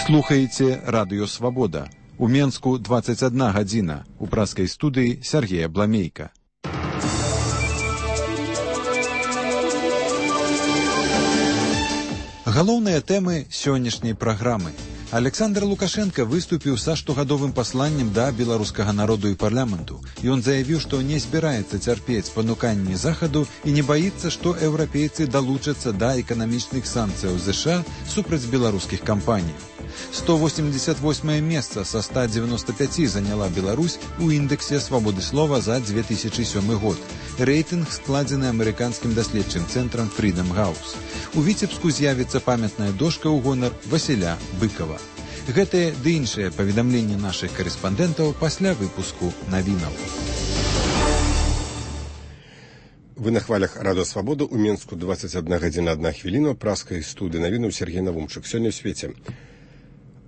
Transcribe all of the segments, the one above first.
Слухаеце радыё «Свабода». У Менску 21 гадзіна. У праскай студыі Сергея Бламейка. Галоўныя тэмы сённяшняй праграмы. Александр Лукашенко выступіў са штогадовым пасланнем да беларускага народу і парламенту. Ён заявіў, што не збіраецца цярпець пануканні Захаду і не баіцца, што еўрапейцы далучацца да эканамічных санкцыяў ЗША супраць беларускіх кампаній. 188 месца са 195 заняла Беларусь у індэксе свабоды слова за 2007 год. Рэйтынг складзены амерыканскім даследчым цэнтрам Freedom House. У Віцебску з'явіцца памятная дошка ў гонар Васіля Быкова. Гэтыя ды іншыя паведамленні нашых карэспандэнтаў пасля выпуску навінаў. Вы на хвалях радыё «Свабода» у Менску 21 гадзіна 1 хвіліна, праскай студыі навінаў Сергей Навумчык. Сёння ў свеце.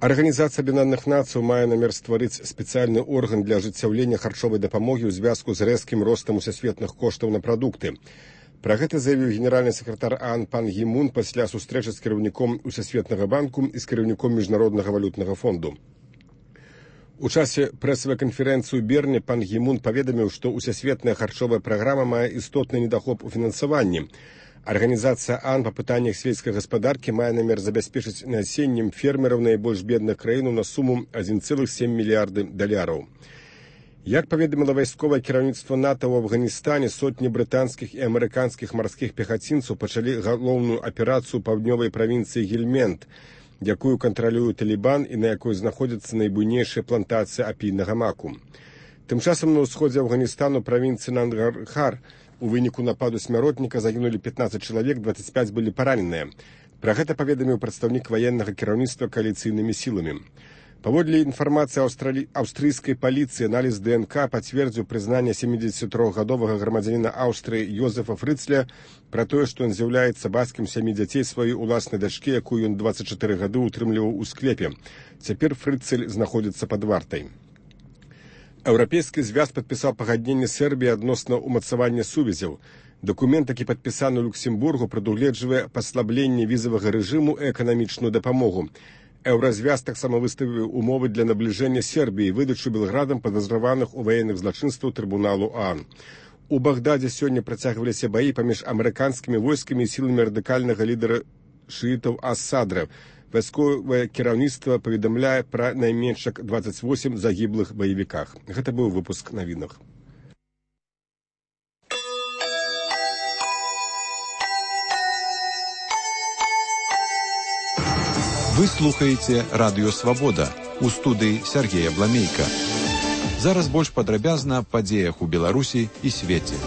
Арганізацыя Аб'яднаных Нацый мае намер стварыць спецыяльны орган для ажыццяўлення харчовай дапамогі ў звязку з рэзкім ростам усесветных коштаў на прадукты. Пра гэта заявіў генеральны сакратар ААН пан Гі Мун пасля сустрэчы з кіраўніком Усесветнага банку і з кіраўніком Міжнароднага валютнага фонду. У часе прэсавай канферэнцыі ў Берне пан Гі Мун паведаміў, што усесветная харчовая праграма мае істотны недахоп у фінансаванні. Арганізацыя ААН па пытаннях сельскай гаспадаркі мае намер забяспечыць насеннем фермераў найбольш бедных краінаў на суму 1,7 мільярды $. Як паведаміла вайсковае кіраўніцтва НАТО ў Афганістане, сотні брытанскіх і амерыканскіх марскіх пехацінцаў пачалі галоўную аперацыю паўднёвай правінцыі Гельмент, якую кантралюе Талібан і на якой знаходзяцца найбуйнейшыя плантацыі апійнага маку. Тым часам на ўсходзе Афганістану правінцыі Нангархар у выніку нападу смяротніка загінулі 15 чалавек, 25 былі параненыя. Пра гэта паведаміў прадстаўнік ваеннага кіраўніцтва кааліцыйнымі сіламі. Паводле інфармацыі аўстрыйскай паліцыі, аналіз ДНК пацвердзіў прызнанне 73-гадовага грамадзяніна Аўстрыі Йозефа Фрыцля пра тое, што ён з'яўляецца бацькам 7 дзяцей сваёй уласнай дачкі, якую ён 24 гады ўтрымліваў у склепе. Цяпер Фрыцель знаходзіцца пад вартай. Еўрапейскі звяз падпісаў пагадненне Сербіі адносна ўмацавання сувязяў. Дакумент, які падпісаны ў Люксембургу, прадугледжвае паслабленне візавага рэжыму і эканамічную дапамогу. Еўразвяз таксама выставіў умовы для набліжэння Сербіі і выдачу Белградам падазраваных у ваенных злачынстваў трыбуналу ААН. У Багдадзе сёння працягваліся баі паміж амерыканскімі войскамі і сіламі радыкальнага лідара шыітаў Ас-Садра. Вайсковае кіраўніцтва паведамляе пра найменш 28 загіблых баевіках. Гэта быў выпуск навінах. Вы слухаеце радыё «Свабода». У студыі Сергея Бламейка. Зараз больш падрабязна аб падзеях у Беларусі і свеце.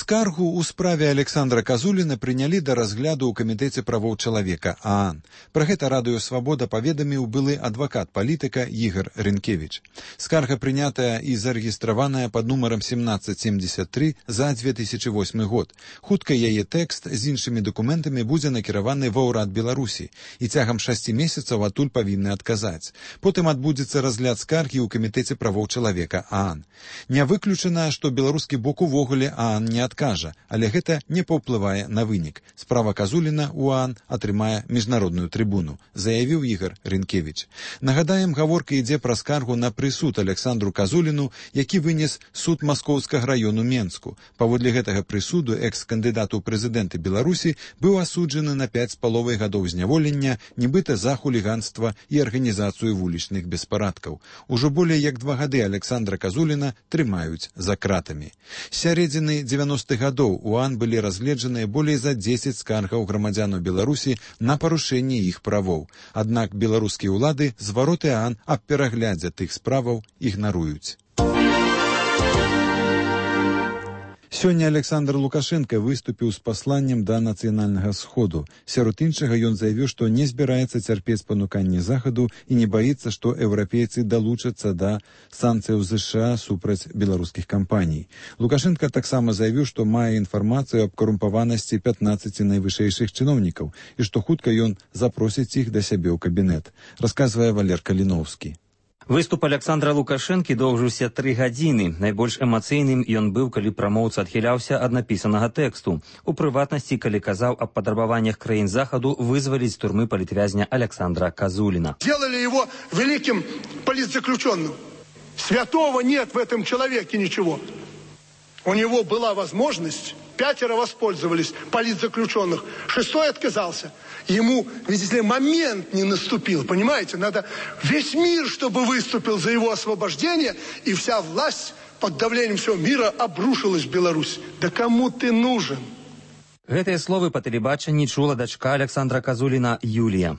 Скаргу ў справе Александра Казуліна прынялі да разгляду ў камітэце правоў чалавека ААН. Пра гэта радыё «Свабода» паведаміў былы адвакат палітыка Ігор Рынкевіч. Скарга прынятая і зарэгістраваная пад нумарам 1773 за 2008 год. Хутка яе тэкст з іншымі дакументамі будзе накіраваны ва ўрад Беларусі і цягам 6 месяцаў адтуль павінны адказаць. Потым адбудзецца разгляд скаргі ў камітэце правоў чалавека ААН. Не выключана, што беларускі бок увогуле ААН не адкажа, але гэта не паўплывае на вынік. Справа Казуліна ў ААН атрымае міжнародную трыбуну, заявіў Ігор Рынкевіч. Нагадаем, гаворка ідзе пра скаргу на прысуд Александру Казуліну, які вынес суд Маскоўскага раёну Менску. Паводле гэтага прысуду экс-кандыдат у прэзідэнты Беларусі быў асуджаны на 5,5 гадоў зняволення, нібыта за хуліганства і арганізацыю вулічных беспарадкаў. Ужо болей як 2 гады Александра Казуліна трымаюць за кратамі. З сярэдзіны 90-х гадоў у ААН былі разгледжаныя болей за 10 скаргаў грамадзянаў Беларусі на парушэнне іх правоў. Аднак беларускія ўлады звароты ААН аб пераглядзе тых справаў ігнаруюць. Сёння Александр Лукашенко выступіў з пасланнем да нацыянальнага сходу. Сярод іншага ён заявіў, што не збіраецца цярпець пануканні Захаду і не баіцца, што еўрапейцы далучацца да санкцыяў ЗША супраць беларускіх кампаній. Лукашенко таксама заявіў, што мае інфармацыю аб карумпаванасці 15 найвышэйшых чыноўнікаў і што хутка ён запросіць іх да сябе ў кабінет, расказвае Валер Каліноўскі. Выступ Александра Лукашэнкі доўжыўся 3 гадзіны. Найбольш эмацыйным ён быў, калі прамоўца адхіляўся ад напісанага тэксту. У прыватнасці, калі казаў аб патрабаваннях краін Захаду вызваліць з турмы палітвязня Александра Казулина. Сделали его великим политзаключенным. Святого нет в этом человеке ничего. У него была возможность, 5 воспользовались политзаключенных, 6 отказался. Ему, видите ли, момент не наступил, понимаете? Надо весь мир, чтобы выступил за его освобождение, и вся власть под давлением всего мира обрушилась в Беларусь. Да кому ты нужен? Гэтыя словы па тэлебачанні чула дачка Александра Казулина Юлия.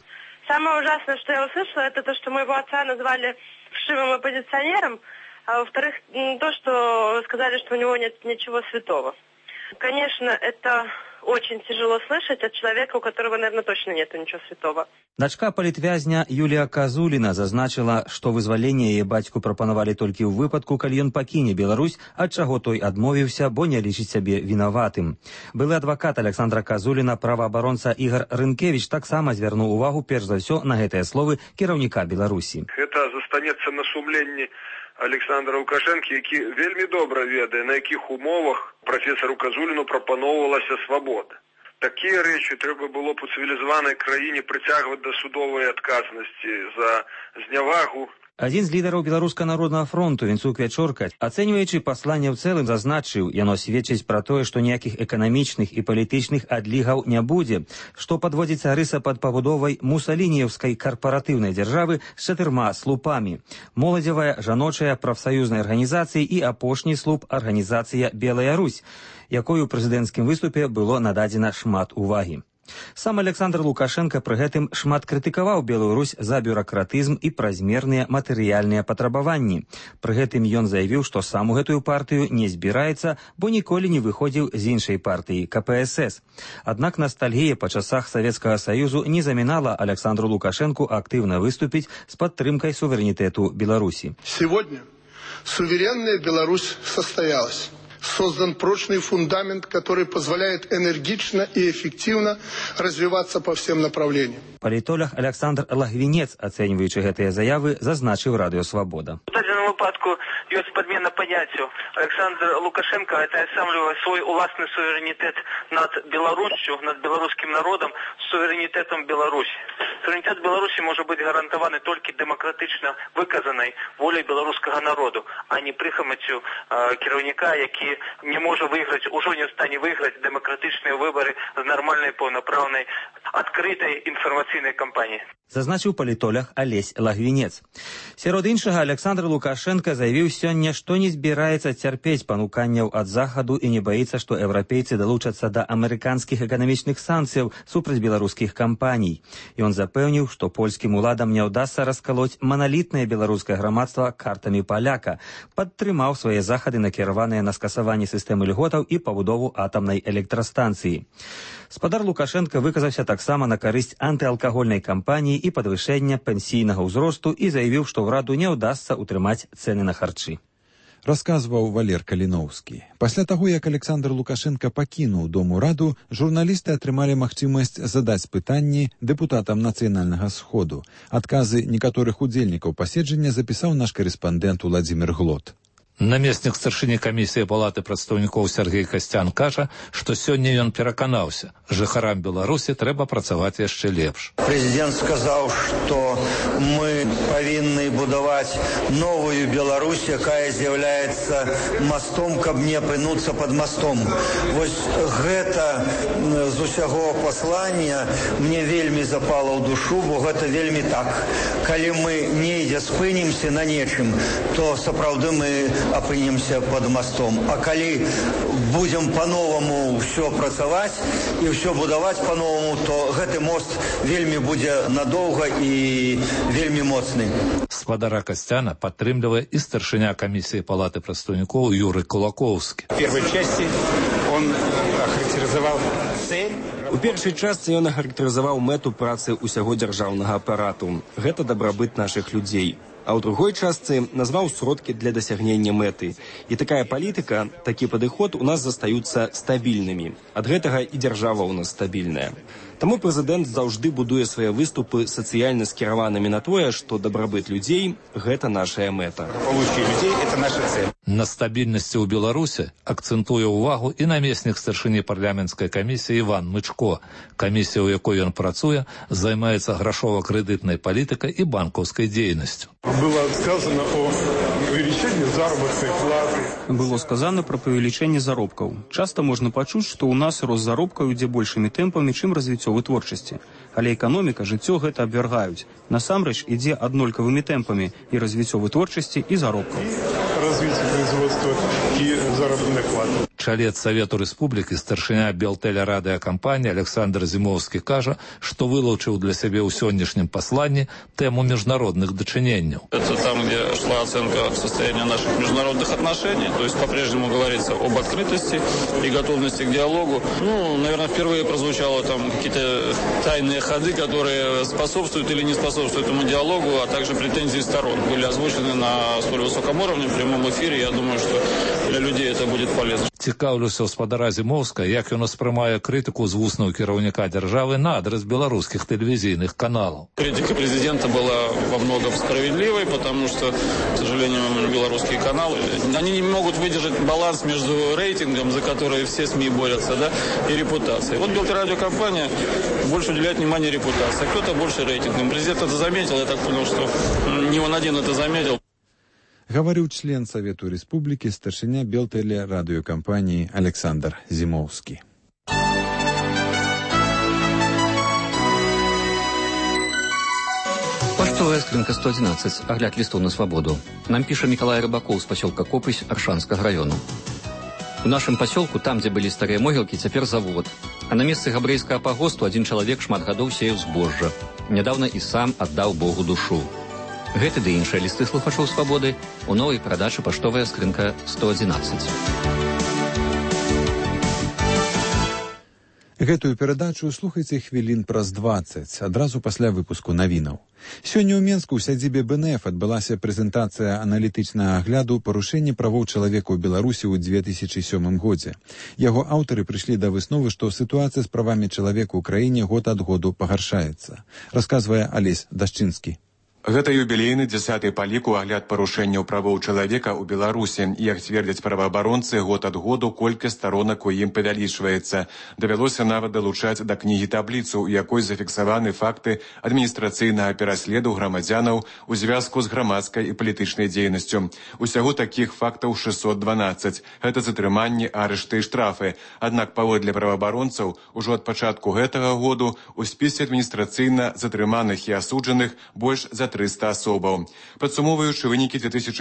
Самое ужасное, что я услышала, это то, что моего отца назвали вшивым оппозиционером, а во-вторых, то, что сказали, что у него нет ничего святого. Конечно, это очень тяжело слышать от человека, у которого, наверное, точно нет ничего святого. Дачка палітвязня Юлія Казуліна зазначила, што вызваленне яе бацьку прапанавалі толькі ў выпадку, калі ён пакіне Беларусь, ад чаго той адмовіўся, бо не лічыць сябе вінаватым. Былы адвакат Александра Казуліна, праваабаронца Ігар Рынкевіч, таксама звярнуў увагу перш за ўсё на гэтыя словы кіраўніка Беларусі. Гэта застанецца на сумленні Александра Лукашэнкі, які вельмі добра ведае, на якіх умовах прафесару Казуліну прапаноўвалася свабода. Такія рэчы трэба было б у цывілізаванай краіне прыцягваць да судовай адказнасці за знявагу. Адзін з лідараў Беларускага народнага фронту Венцук Вячорка, ацэньваючы пасланне ў цэлым, зазначыў, яно сведчыць пра тое, што ніякіх эканамічных і палітычных адлігаў не будзе, што падводзіцца рыса пад пабудовай мусалініеўскай карпаратыўнай дзяржавы з 4 слупамі. Моладзевая, жаночая, прафсаюзнай арганізацыі і апошні слуп арганізацыя Белая Русь, якой у прэзідэнцкім выступе было нададзена шмат увагі. Сам Александр Лукашенко пры гэтым шмат крытыкаваў Белую Русь за бюракратызм і празмерныя матэрыяльныя патрабаванні. Пры гэтым ён заявіў, што сам у гэтую партыю не збіраецца, бо ніколі не выходзіў з іншай партыі КПСС. Аднак ностальгія па часах Савецкага Саюзу не замінала Александру Лукашенку актыўна выступіць з падтрымкай суверэнітэту Беларусі. Сегодня суверенная Беларусь состоялась. Создан прочный фундамент, который позволяет энергично и эффективно развиваться по всем направлениям. Палітолог Александр Лагвінец, ацэньваючы гэтыя заявы, зазначыў Радыё Свабода. У дадзеным выпадку ёсць падмена паняццяў. Александр Лукашенко атаясамлівае свой уласны суверэнітэт над Беларуссю, над беларускім народам, суверэнітэтам Беларусі. Суверэнітэт Беларусі можа быць гарантаваны толькі дэмакратычна выказанай воляй беларускага народу, а не прыхамаццю кіраўніка, які не можа выйграць, ужо не стане выйграць дэмакратычныя выбары з нармальнай, паўнапраўнай, адкрытай інфармацыйнай кампаніі. Зазначыў палітолог Алесь Лагвінец. Сярод іншага, Александр Лукашенко заявіў сёння, што не збіраецца цярпець пануканняў ад Захаду і не баіцца, што еўрапейцы далучацца да амерыканскіх эканамічных санкцыяў супраць беларускіх кампаній. Ён запэўніў, што польскім уладам не ўдасца раскалоць маналітнае беларускае грамадства картамі паляка, падтрымаў свае захады, накіраваныя на скасаванне сістэмы льготаў і пабудову атамнай электрастанцыі. Спадар Лукашенко выказаўся таксама на карысць антыалкагольнай кампаніі і падвышэння пенсійнага ўзросту і заявіў, што ўраду не ўдасца ўтрымаць цэны на харчы. Расказваў Валер Каліноўскі. Пасля таго, як Александр Лукашенко пакінуў Дом ураду, журналісты атрымалі магчымасць задаць пытанні дэпутатам Нацыянальнага сходу. Адказы некаторых удзельнікаў паседжання запісаў наш карэспандэнт Уладзімір Глот. Намеснік старшыні камісіі палаты прадстаўнікоў Сергей Касцян кажа, што сёння ён пераканаўся, жыхарам Беларусі трэба працаваць яшчэ лепш. Прэзідэнт сказаў, што мы павінны будаваць новую Беларусь, якая з'яўляецца мастом, каб не апынуцца пад мастом. Вось гэта з усяго паслання мне вельмі запала ў душу, бо гэта вельмі так. Калі мы недзе спынімся на нечым, то сапраўды мы апынемся под мостом. А калі будем по-новому все працаваць і все будаваць по-новому, то гэты мост вельмі будзе надоўга і вельмі моцны. Спадара Касцяна падтрымлівае і старшыня камісіі палаты прадстаўнікоў Юры Кулакоўскі. В первой части он охарактеризовал цель. У першай частцы ён ахарактарызаваў мэту працы ўсяго дзяржаўнага апарату. Гэта дабрабыт нашых людзей. а ў другой частцы назваў сродкі для дасягнення мэты. І такая палітыка, такі падыход у нас застаюцца стабільнымі. Ад гэтага і дзяржава ў нас стабільная. Таму прэзідэнт заўжды будуе свае выступы сацыяльна скіраванымі на тое, што дабрабыт людзей – гэта нашая мэта. На стабільнасці ў Беларусі акцэнтуе ўвагу і намеснік старшыні парламенцкай камісіі Іван Мычко. Камісія, у якой ён працуе, займаецца грашова-крэдытнай палітыкай і банкаўскай дзейнасцю. Было сказано о увеличении заработной платы. Было сказано про павелічэнне заробкаў. Часта можна пачуць, што ў нас рост заробкаў ідзе большымі тэмпамі, чым развіццё вытворчасці. Але эканоміка, жыццё гэта абвяргаюць. Насамрэч ідзе аднолькавымі тэмпамі і развіццё вытворчасці, і заробкаў. Развіццё производства і заробітных плат. Чалец Савету Рэспублікі, старшыня Белтэлерадыакампаніі Александр Зімоўскі кажа, што вылучыў для сябе ў сённяшнім пасланні тэму міжнародных дачыненняў. Это там, где шла оценка состояния наших международных отношений, то есть по-прежнему говорится об открытости и готовности к диалогу. Наверное, впервые прозвучало там какие-то тайные ходы, которые способствуют или не способствуют этому диалогу, а также претензии сторон были озвучены на столь высоком уровне в прямом эфире. Я думаю, что для людей это будет полезно. Цікаўлюся ў спадара Зімоўска, як ён успрымае крытыку з вуснаў кіраўніка дзяржавы на адрес беларускіх тэлевізійных каналаў. Критика президента была во многом справедливой, потому что, к сожалению, белорусские каналы, они не могут выдержать баланс между рейтингом, за который все СМИ борются, да, и репутацией. Вот Белтелерадиокомпания больше уделяет внимание репутации, а кто-то больше рейтингом. Президент это заметил, я так понял, что не он один это заметил. Гаварыў член Савету Рэспублікі, старшыня Белтэлерадыёкампаніі Александр Зімоўскі. Паштовая скрынка 111. Агляд лістоў на свабоду. Нам піша Мікалай Рыбакоў з пасёлка Копысь Аршанскага раёну. У нашым пасёлку, там, дзе былі старыя могілкі, цяпер завод. А на месцы габрэйскага пагосту адзін чалавек шмат гадоў сеяў збожжа. Нядаўна і сам аддаў Богу душу. Гэты ды іншыя лісты слухачоў свабоды у новай перадачы «Паштовая скрынка 111». Гэтую перадачу слухайце хвілін праз 20, адразу пасля выпуску навінаў. Сёння ў Менску ў сядзібе БНФ адбылася прэзентацыя аналітычнага агляду парушэння правоў чалавека ў Беларусі ў 2007 годзе. Яго аўтары прыйшлі да высновы, што сітуацыя з правамі чалавека ў краіне год ад году пагаршаецца. Расказвае Алесь Дашчынскі. Гэта юбілейны 10-й па ліку агляд парушэнняў правоў чалавека ў Беларусі. Як цвердзяць праваабаронцы, год ад году колькасць старонак у ім павялічваецца. Давялося нават далучаць да кнігі табліцу, у якой зафіксаваны факты адміністрацыйнага пераследу грамадзянаў у звязку з грамадскай і палітычнай дзейнасцю. Усяго такіх фактаў 612. Гэта затрыманні, арышты і штрафы. Аднак паводле праваабаронцаў, ужо ад пачатку гэтага году у спісе адміністрацыйна затрыманых і асуджаных больш за 300 асобаў. Падсумоўваючы вынікі 2007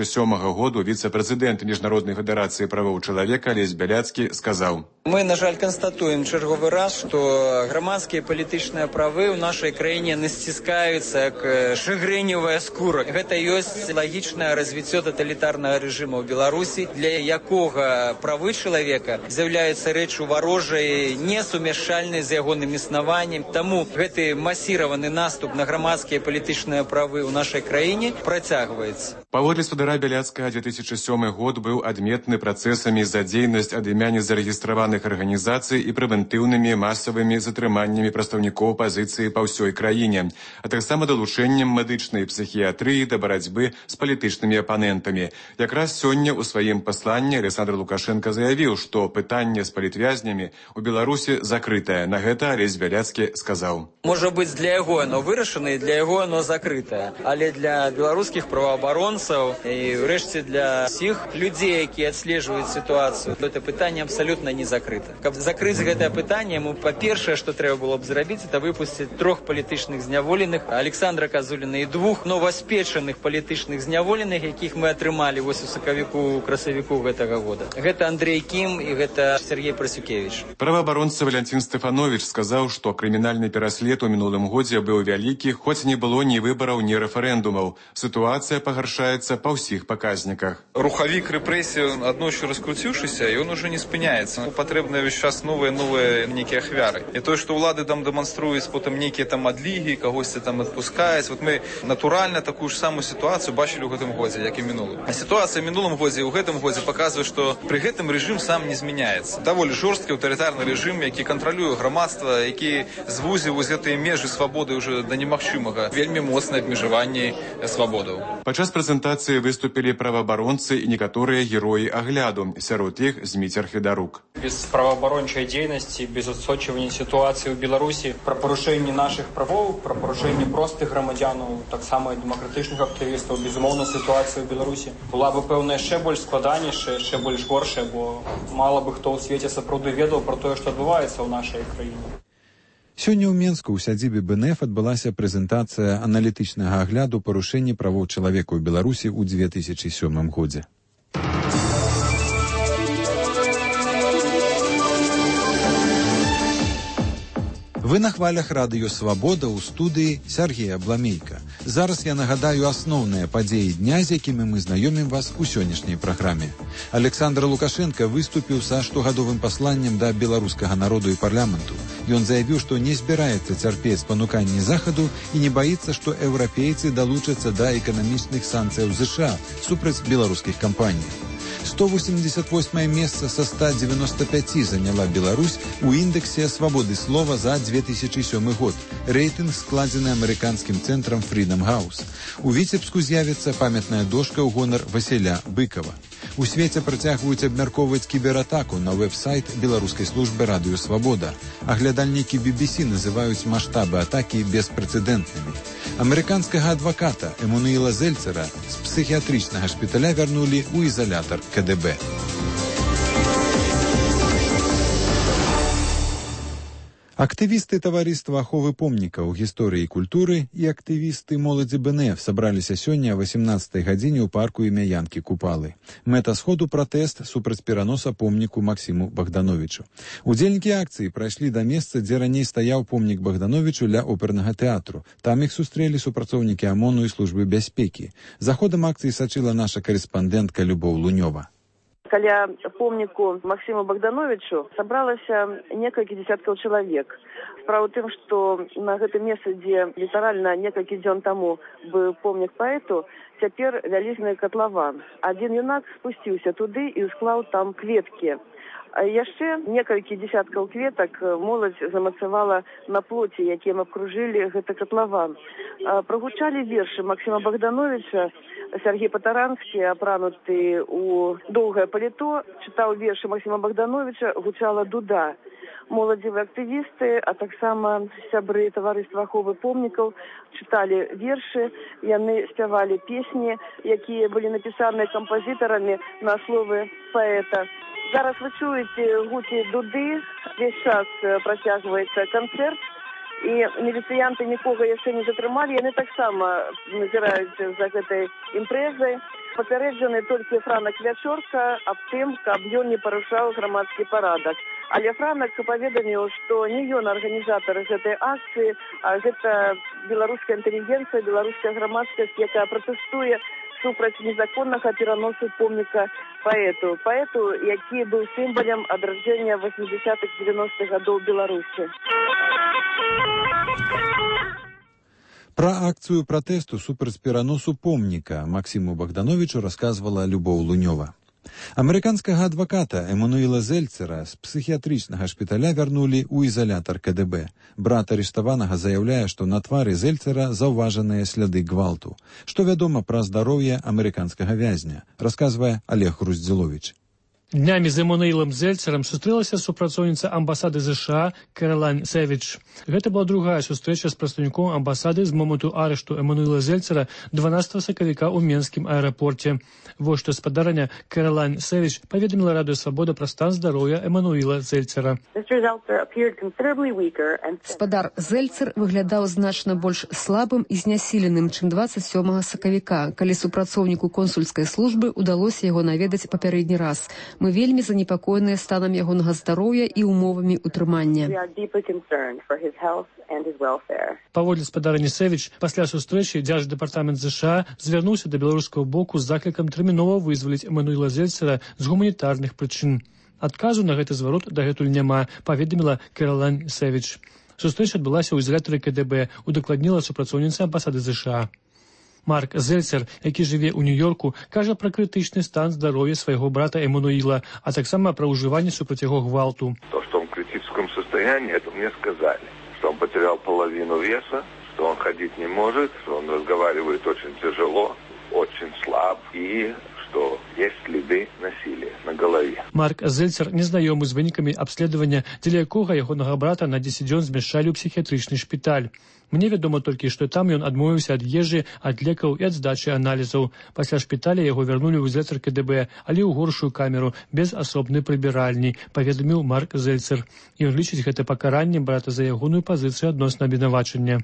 году, віцэ-прэзідэнт Міжнароднай федэрацыі правоў чалавека Алесь Бяляцкі сказаў: Мы, на жаль, констатуем черговый раз, что громадские политичные правы в нашей краине не стискаются, как шагреневая скура. Это есть логичное развитие тоталитарного режима в Беларуси, для якого правы человека являются речью ворожей, несумешальной с ягоным існаваннем. Тому гэты массированный наступ на громадские политичные правы в нашей краине протягивается. Паводле спадара Бяляцкага, 2007 год быў адметны працэсамі за дзейнасць ад імя незарэгістраваных арганізацый і прэвентыўнымі масавымі затрыманнямі прадстаўнікоў апазіцыі па ўсёй краіне, а таксама далучэннем медычнай псіхіятрыі да барацьбы з палітычнымі апанентамі. Якраз сёння ў сваім пасланні Александр Лукашенко заявіў, што пытанне з палітвязнямі ў Беларусі закрытае. На гэта Алесь Бяляцкі сказаў: Можа быць, для яго оно вырашана і для яго оно закрытае, але для беларускіх праваабаронцаў і ўрэшце для всіх людзей, якія адслежваюць сітуацыю, гэта пытанне абсалютна не закрыта. Каб закрыць гэтае пытанне, па-першае, што трэба было б зрабіць, это выпусціць 3 палітычных зняволеных, Александра Казуліна, і 2 новаспечаных палітычных зняволеных, якіх мы атрымалі вось у красавіку гэтага года. Гэта Андрей Кім і гэта Сергей Прасюкевич. Праваабаронца Валянцін Стэфанович сказаў, што крымінальны пераслед у мінулым годзе быў вялікі, хоць не было ні выбараў, ні рэферэндумаў. Сітуацыя пагаршаецца па ўсіх паказніках. Рухавік рэпрэсій аднойчы раскруціўшыся, і ён уже не спыняецца. Патрэбна патрэбныя ўвесь час новыя нейкія ахвяры. І тое, што ўлады там дэманструюць потым нейкія там адлігі, кагосьці там адпускаюць. Вот мы натуральна такую ж самую сітуацыю бачылі ў гэтым годзе, як і мінулым. А сітуацыя ў мінулым годзе і ў гэтым годзе паказвае, што пры гэтым рэжым сам не змяняецца. Даволі жорсткі аўтарытарны рэжым, які кантралюе грамадства, які звузіў вось гэтыя межы свабоды ўжо да немагчымага. Вельмі моцнае абмежаванне свабодаў. Падчас прэзентацыі выступілі праваабаронцы і некаторыя героі агляду. Сярод іх Зміцер Федарук. Без правоабарончай дзейнасці, без адсочвання сітуацыі ў Беларусі, пра парушэнне нашых правоў, пра парушэнне простых грамадзянаў, таксама дэмакратычных актывістаў, безумоўна, сітуацыя ў Беларусі была бы, пэўна, яшчэ больш складанейшая, яшчэ больш горшая, бо мала бы хто ў свеце сапраўды ведаў пра тое, што адбываецца ў нашай краіне. Сёння ў Менску ў сядзібе БНФ адбылася прэзентацыя аналітычнага агляду парушэння правоў чалавека ў Беларусі ў 2007 годзе. Вы на хвалях радыё «Свабода» ў студыі Сергея Бламейка. Зараз я нагадаю асноўныя падзеі дня, з якімі мы знаёмім вас у сённяшняй праграме. Александр Лукашенко выступіў са штогадовым пасланнем да беларускага народу і парламенту. Ён заявіў, што не збіраецца цярпець пануканні Захаду і не баіцца, што еўрапейцы далучацца да эканамічных санкцыяў ЗША супраць беларускіх кампаній. 188 месца са 195 заняла Беларусь у індексе свабоды слова за 2007 год. Рэйтынг складзены амерыканскім цэнтрам Freedom House. У Віцебску з'явіцца памятная дошка ў гонар Васіля Быкова. У свеце працягваюць абмяркоўваць кібератаку на вэб-сайт беларускай службы радыё «Свабода». Аглядальнікі BBC называюць маштабы атакі беспрэцэдэнтнымі. Амерыканскага адваката Эммануіла Зельцера з псіхіятрычнага шпіталя вярнулі ў ізалятар КДБ. Актывісты таварыства аховы помнікаў гісторыі і культуры і актывісты моладзі БНФ сабраліся сёння о 18 гадзіне ў парку імя Янкі Купалы. Мэта сходу пратэст супраць пераноса помніку Максіму Богдановичу. Удзельнікі акцыі прайшлі да месца, дзе раней стаяў помнік Богдановичу ля опернага тэатру. Там іх сустрэлі супрацоўнікі АМОНу і службы бяспекі. За ходам акцыі сачыла наша карэспандэнтка Любоў Лунёва. Каля помніку Максиму Богдановичу сабралася некалькі десяткаў чалавек. Справа ў тым, што на гэтым месцы, дзе літаральна некалькі дзён таму быў помнік паэту, цяпер вялізны катлаван. Адзін юнак спусціўся туды і склаў там кветкі. А яшчэ некалькі десяткаў кветак моладзь замацавала на плоце, якім абкружылі гэты катлаван. Прагучалі вершы Максима Богдановича. Сергей Патаранскі, апрануты ў доўгае паліто, чытаў вершы Максима Богдановича, гучала дуда. Моладзевыя актывісты, а таксама сябры таварыства аховы помнікаў чыталі вершы, яны спявалі песні, якія былі напісаныя кампазітарамі на словы паэта. Зараз вы чуеце гукі дуды, весь час працягваецца канцэрт, і міліцыянты нікога яшчэ не затрымалі, яны таксама назіраюць за гэтай імпрэзай. Папярэджаны толькі Франак Вячорка аб тым, каб ён не парушаў грамадскі парадак. Але Франак паведаміў, што не ён арганізатар гэтай акцыі, а гэта беларуская інтэлігенцыя, беларуская грамадскасць, якая пратэстуе супраць незаконнага пераносу помніка паэту. Паэту, які быў сімвалам адраджэння 80-х-90-х гадоў Беларусі. Пра акцыю пратэсту супраць пераносу помніка Максіму Богдановичу расказвала Любоў Лунёва. Амерыканскага адваката Эммануіла Зельцера з псіхіятрычнага шпіталя вярнулі ў ізалятар КДБ. Брат арыштаванага заяўляе, што на твары Зельцера заўважаныя сляды гвалту. Што вядома пра здароўе амерыканскага вязня, расказвае Олег Груздзіловіч. Днямі з Эммануілам Зельцерам сустрэлася супрацоўніца амбасады ЗША Кэралайн Сэвідж. Гэта была другая сустрэча з прадстаўніком амбасады з моманту арышту Эммануіла Зельцера 12 сакавіка ў Менскім аэрапорце. Вось што спадарня Кэралайн Сэвідж паведаміла радыё «Свабода» пра стан здароўя Эммануіла Зельцера. Спадар Зельцер выглядаў значна больш слабым і знясіленым, чым 27 сакавіка, калі супрацоўніку консульскай службы ўдалося яго наведаць папярэдні раз. Мы вельмі занепакоеныя станам ягонага здароўя і умовамі ўтрымання. Паводле спадарні Сэвідж, пасля сустрэчы дзярждэпартамент ЗША звярнуўся да беларускага боку з заклікам тэрмінова вызваліць Эммануіла Зельцера з гуманітарных прычын. Адказу на гэты зварот дагэтуль няма, паведаміла Кэралайн Сэвідж. Сустрэча адбылася ў ізалятары КДБ, удакладніла супрацоўніца амбасады США. Марк Зельцер, які жыве ў Нью-Йорку, кажа пра крытычны стан здароўя свайго брата Эммануила, а таксама пра ўжыванне супраць яго гвалту. То, что он в критическом состоянии, это мне сказали. Что он потерял половину веса, что он ходить не может, что он разговаривает очень тяжело, очень слаб и что есть следы насилия на голове. Марк Зельцер незнаёмы з вынікамі абследавання, дзеля якога ягонага брата на 10 дзён змяшчалі ў псіхіятрычны шпіталь. Мне вядома толькі, што там ён адмовіўся ад ежы, ад лекаў і ад здачы аналізаў. Пасля шпіталя яго вярнулі ў ізалятар КДБ, але ў горшую камеру, без асобнай прыбіральні, паведаміў Марк Зельцер. Ён лічыць гэта пакараннем брата за ягоную пазіцыю адносна абвінавачання.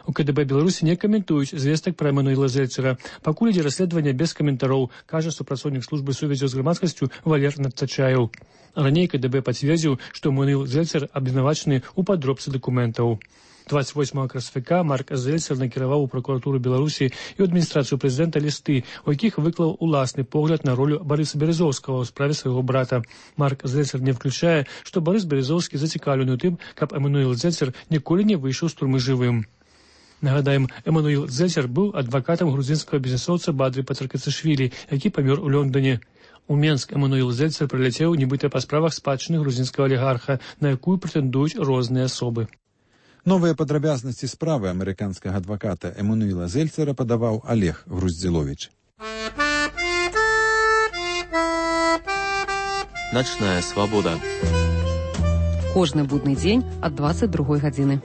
У КДБ Беларусі не каментуюць звестак пра Эммануила Зельцера. Пакуль ідзе расследаванне без каментароў, кажа супрацоўнік службы сувязі з грамадскасцю Валер Надцачаеў. Раней КДБ пацвердзіў, што Эммануил Зельцер абвінавачаны ў падробцы дакументаў. 28 красавіка Марк Зельцер накіраваў у пракуратуру Беларусі і ў адміністрацыю прэзідэнта лісты, у якіх выклаў уласны погляд на ролю Барыса Березоўскага ў справе свайго брата. Марк Зельцер не включае, што Барыс Березоўскі зацікаўлены ў тым, каб Эммануил Зельцер ніколі не выйшаў з турмы жывым. Нагадаем, Эммануил Зельцер быў адвакатам грузінскага бізнесоўца Бадры Пацаркацышвілі, які памёр у Лондоне. У Менск Эммануил Зельцер прыляцеў нібыта па справах спадчыны грузінскага алігарха, на якую прэтэндуюць розныя асобы. Новыя падрабязнасці справы амерыканскага адваката Эммануила Зельцера падаваў Олег Груздзіловіч. Начная свабода. Кожны будны дзень ад 22 гадзіны.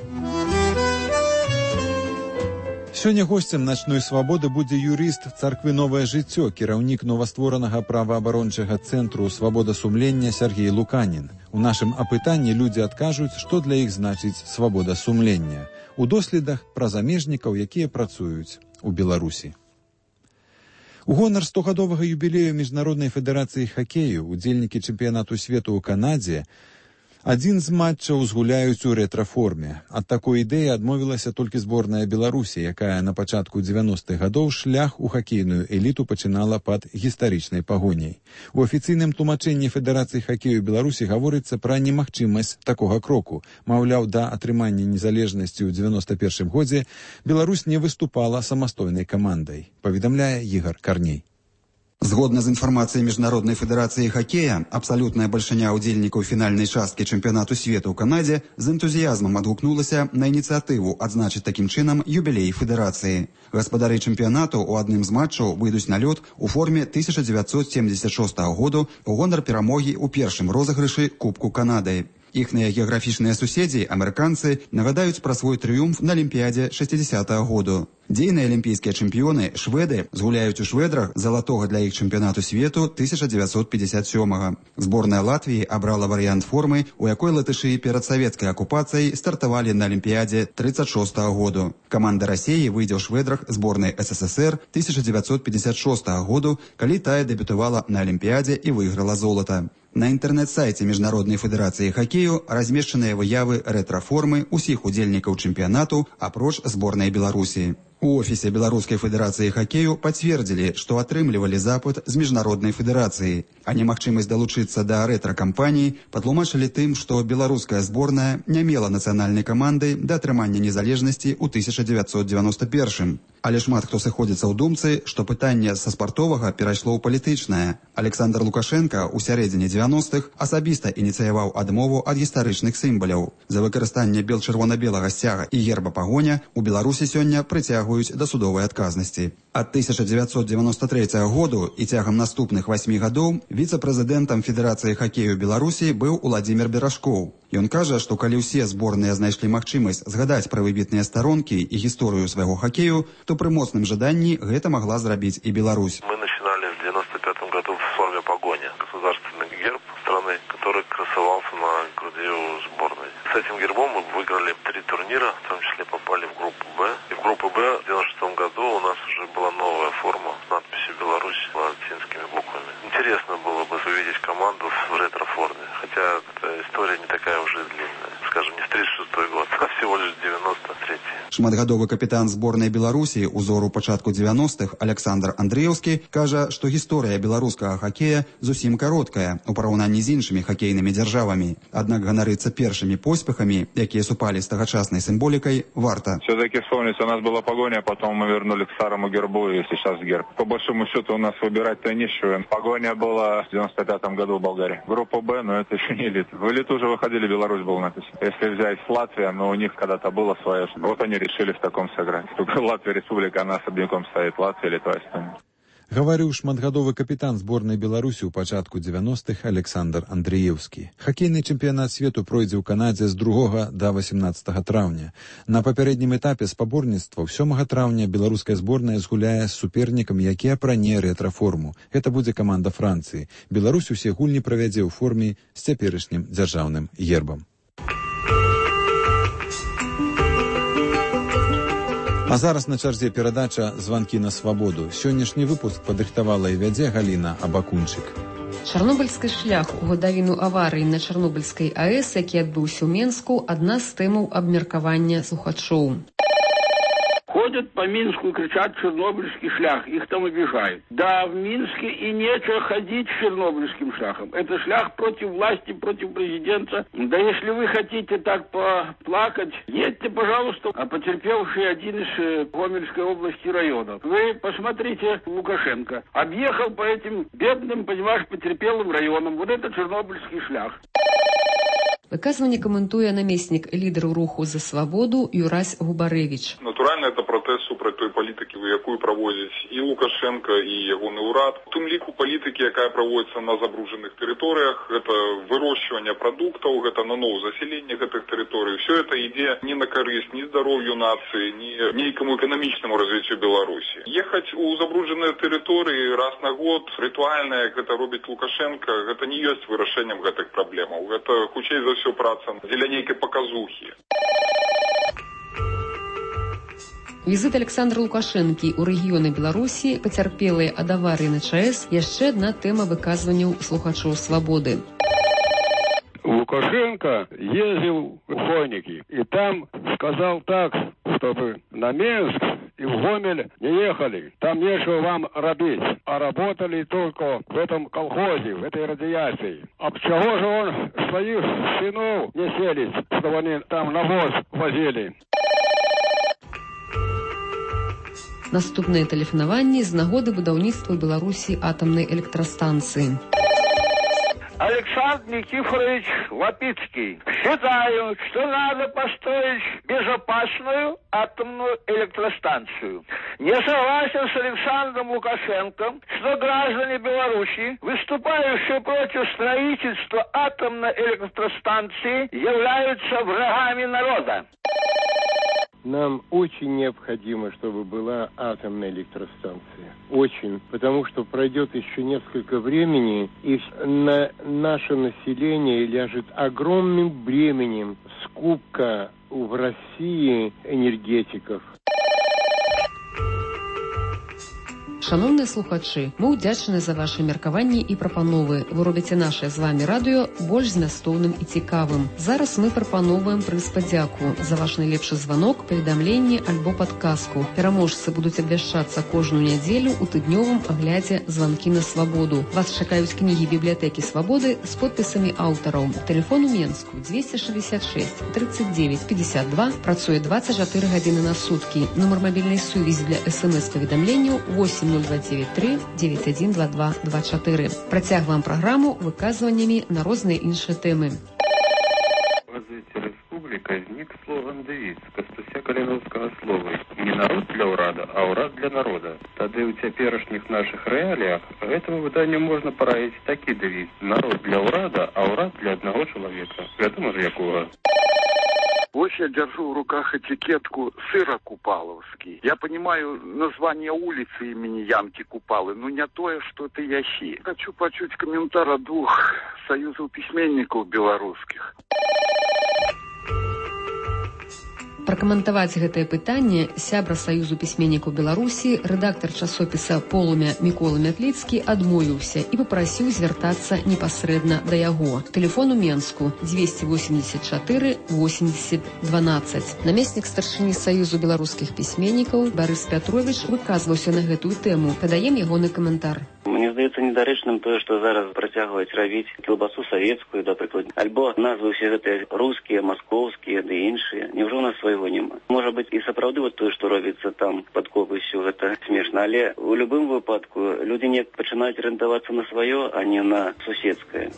Сёння госцем начной свабоды будзе юрыст царквы «Новае жыццё», кіраўнік новастворанага праваабарончага цэнтру «Свабода сумлення» Сергей Луканін. У нашым апытанні людзі адкажуць, што для іх значыць свабода сумлення. У доследах пра замежнікаў, якія працуюць у Беларусі. У гонар 100-гадовага юбілею Міжнароднай федэрацыі хакею удзельнікі чэмпіянату свету ў Канадзе адзін з матчаў згуляюць у рэтра-форме. Ад такой ідэі адмовілася толькі зборная Беларусі, якая на пачатку 90-х гадоў шлях у хакейную эліту пачынала пад гістарычнай пагоняй. У афіцыйным тлумачэнні Федэрацыі хакею Беларусі гаворыцца пра немагчымасць такога кроку. Маўляў, да атрымання незалежнасці ў 91-м годзе Беларусь не выступала самастойнай камандай, паведамляе Ігор Карней. Згодна з інфармацыяй Міжнароднай федэрацыі хакея, абсалютная бальшыня ўдзельнікаў фінальнай часткі чэмпіянату свету ў Канадзе з энтузіязмам адгукнулася на ініцыятыву адзначыць такім чынам юбілей федэрацыі. Гаспадары чэмпіянату ў адным з матчаў выйдуць на лёд у форме 1976 году ў гонар перамогі ў першым розыгрышы Кубку Канады. Іхныя геаграфічныя суседзі, амерыканцы, нагадаюць пра свой трыумф на Алімпіядзе 60-го году. Дзейныя алімпійскія чэмпіёны, шведы, згуляюць у шведрах залатога для іх чэмпіянату свету 1957-го. Зборная Латвіі абрала варыянт формы, у якой латышы перад савецкай акупацыяй стартавалі на Алімпіядзе 36-го году. Каманда Расіі выйдзе ў шведрах зборнай СССР 1956 году, калі тая дэбютавала на Алімпіядзе і выйграла золата. На інтэрнэт-сайце Міжнароднай федэрацыі хакею размешчаныя выявы рэтра-формы ўсіх удзельнікаў чэмпіянату, апроч зборнай Беларусі. У офісе Беларускай федэрацыі хакею пацвердзілі, што атрымлівалі запыт з Міжнароднай федэрацыі, а немагчымасць далучыцца да рэтра-кампаніі патлумачылі тым, што беларуская зборная не мела нацыянальнай камандай да атрымання незалежнасці ў 1991-м. Але шмат хто сыходзіцца ў думцы, што пытанне са спартовага перайшло ў палітычнае. Александр Лукашенко ў сярэдзіне 90-х асабіста ініцыяваў адмову ад гістарычных сімваляў. За выкарыстанне бел-чырвона-белага сцяга і герба пагоня у Беларусі сёння прыцягваюць да судовай адказнасці. Ад 1993 году і цягам наступных 8 гадоў віцэ-прэзідэнтам Федэрацыі хакею Беларусі быў Уладзімір Берашкоў. Ён кажа, што калі ўсе зборныя знайшлі магчымасць згадаць пра выбітныя старонкі і гісторыю свайго хакею, то пры моцным жаданні гэта магла зрабіць і Беларусь. Мы начинали в 95 году в форме погоня. Государственный герб страны, который красовался на груди у сборной. С этим гербом мы выиграли 3 турнира, в том числе попали в группу «Б». И в группу «Б» в 96 году у нас уже была новая форма с надписью «Беларусь» латинскими буквами. Интересно было бы увидеть команду в ретро-форме, хотя эта история не такая уже длинная. В скажем, не в 36-й год, а всего лишь 93-й. Шматгадовы капітан зборнай Беларусі узору пачатку 90-х Александр Андреевский кажа, што гісторыя беларускага хакея зусім кароткая у параўнанні з іншымі хакейнымі дзяржавамі. Аднак ганарыцца першымі поспехамі, якія супалі з тагачаснай сімволікай, варта. Все-таки вспомнить, у нас была Погоня, потом мы вернули к старому гербу, и сейчас герб. По большому счету у нас выбирать-то нечего. Погоня была в 95-м году в Болгарии. Группа Б, но это еще не элита. В элиту уже выходили, Беларусь был написан. Если взять Латвию, но у них когда-то было свое. Вот они решили в таком сыграть. Только Латвия республика, она особняком стоит. Латвия, Литва, Эстония. Гаварыў шматгадовы капітан зборнай Беларусі ў пачатку 90-х Александр Андреевский. Хакейны чэмпіянат свету пройдзе ў Канадзе з 2 да 18 траўня. На папярэднім этапе спаборніцтва 7 траўня беларуская зборная згуляе з супернікам, які апране рэтра-форму. Гэта будзе каманда Францыі. Беларусь усе гульні правядзе ў форме з цяперашнім дзяржаўным гербам. А зараз на чарзе перадача «Званкі на свабоду». Сённяшні выпуск падрыхтавала і вядзе Галіна Абакунчык. Чарнобыльскі шлях у гадавіну аварыі на Чарнобыльскай АЭС, які адбыўся ў Менску, адна з тэмаў абмеркавання слухачоў. Ходят по Минску и кричат «Чернобыльский шлях», их там обижают. Да, в Минске и нечего ходить с Чернобыльским шляхом. Это шлях против власти, против президента. Да если вы хотите так поплакать, едьте, пожалуйста, а потерпевший один из Гомельской области районов. Вы посмотрите, Лукашенко объехал по этим бедным, понимаешь, потерпелым районам. Вот это Чернобыльский шлях. Выказванне каментуе намеснік лідару руху за свабоду Юрась Губарэвіч. Натуральна, это протест супраць той палітыкі, якую праводзіць і Лукашенко, і ягоны ўрад. У тым ліку палітыкі, якая праводзіцца на забруджаных тэрыторыях, гэта вырощванне прадуктаў, гэта наноў засяленне гэтых тэрыторый. Все это ідзе не на карысць ні здароўю нацыі, ні нейкаму эканамічнаму развіццю Беларусі. Ехаць у забруджаныя тэрыторыі раз на год, рытуальна, як гэта робіць Лукашенко, гэта не ёсць вырашэннем гэтых праблемаў. Гэта хутчэй за все праца дзеля нейкай паказухі. Візит Александра Лукашэнкі ў рэгіёны Беларусі, пацярпелыя ад аварыі на ЧАЭС, яшчэ адна тэма выказванняў слухачоў свабоды. Лукашенко ездил в Хоники и там сказал так, чтобы на Минск и в Гомель не ехали. Там нечего вам робить, а работали только в этом колхозе, в этой радиации. А чего же он своих сынов не селит, чтобы они там навоз возили? Наступнае тэлефанаванне з нагоды будаўніцтва ў Беларусі атамнай электрастанцыі. Александр Никифорович Лапицкий. Считаю, что надо построить безопасную атомную электростанцию. Не согласен с Александром Лукашенко, что граждане Беларуси, выступающие против строительства атомной электростанции, являются врагами народа. Нам очень необходимо, чтобы была атомная электростанция. Очень. Потому что пройдет еще несколько времени, и на наше население ляжет огромным бременем скупка в России энергетиков. Шановныя слухачы, мы ўдзячны за ваши меркаванні і прапановы. Вы робіце наше з вами радыё больш змястоўным і цікавым. Зараз мы прапановваем прыз падзяку за ваш найлепшы званок, паведамленне альбо падказку. Пераможцы будуць абвяшчацца кожную нядзелю ў тыднёвым аглядзе «Званкі на свабоду». Вас чакаюць кнігі бібліятэкі свабоды з подпісамі аўтараў. Тэлефон у Менску 266 39 52, працуе 24 гадзіны на суткі. Нумар мабільнай сувязі для СМС-паведамленняў 8293 9122 24. Працягваем праграму выказваннямі на розныя іншыя тэмы. Развитие республики возник слоган-девиз Костуся Калиновского слова «Не народ для урада, а урад для народа». Тады у цяперашніх наших реалиях этому выданию можно параіць такі девиз «Народ для урада, а урад для одного человека». Вядома ж якога. Вот я держу в руках этикетку сыра Купаловский. Я понимаю название улицы имени Янки Купалы, но не то, что это ящи. Хочу почуть комментарий от двух союзов письменников белорусских. Пракаментаваць гэтае пытанне сябра Саюзу пісьменнікаў Беларусі, рэдактар часопіса «Полумя» Мікола Мятліцкі адмовіўся і папрасіў звяртацца непасрэдна да яго. Тэлефон у Менску 284 80 12. Намеснік старшыні Саюзу беларускіх пісьменнікаў Барыс Пятровіч выказваўся на гэтую тэму. Падаем ягоны каментар. Мне здаецца недарэчным тое, што зараз працягваць рабіць кілбасу савецкую, да прыкладу, альбо назвы ўсе гэтыя рускія, маскоўскія ды іншыя. Няўжо у нас свайго няма? Можа быць і сапраўды вот тое, што робіцца там пад копасцю, гэта смешна, але ў любым выпадку людзі неяк пачынаюць арыентавацца на сваё, а не на суседскае.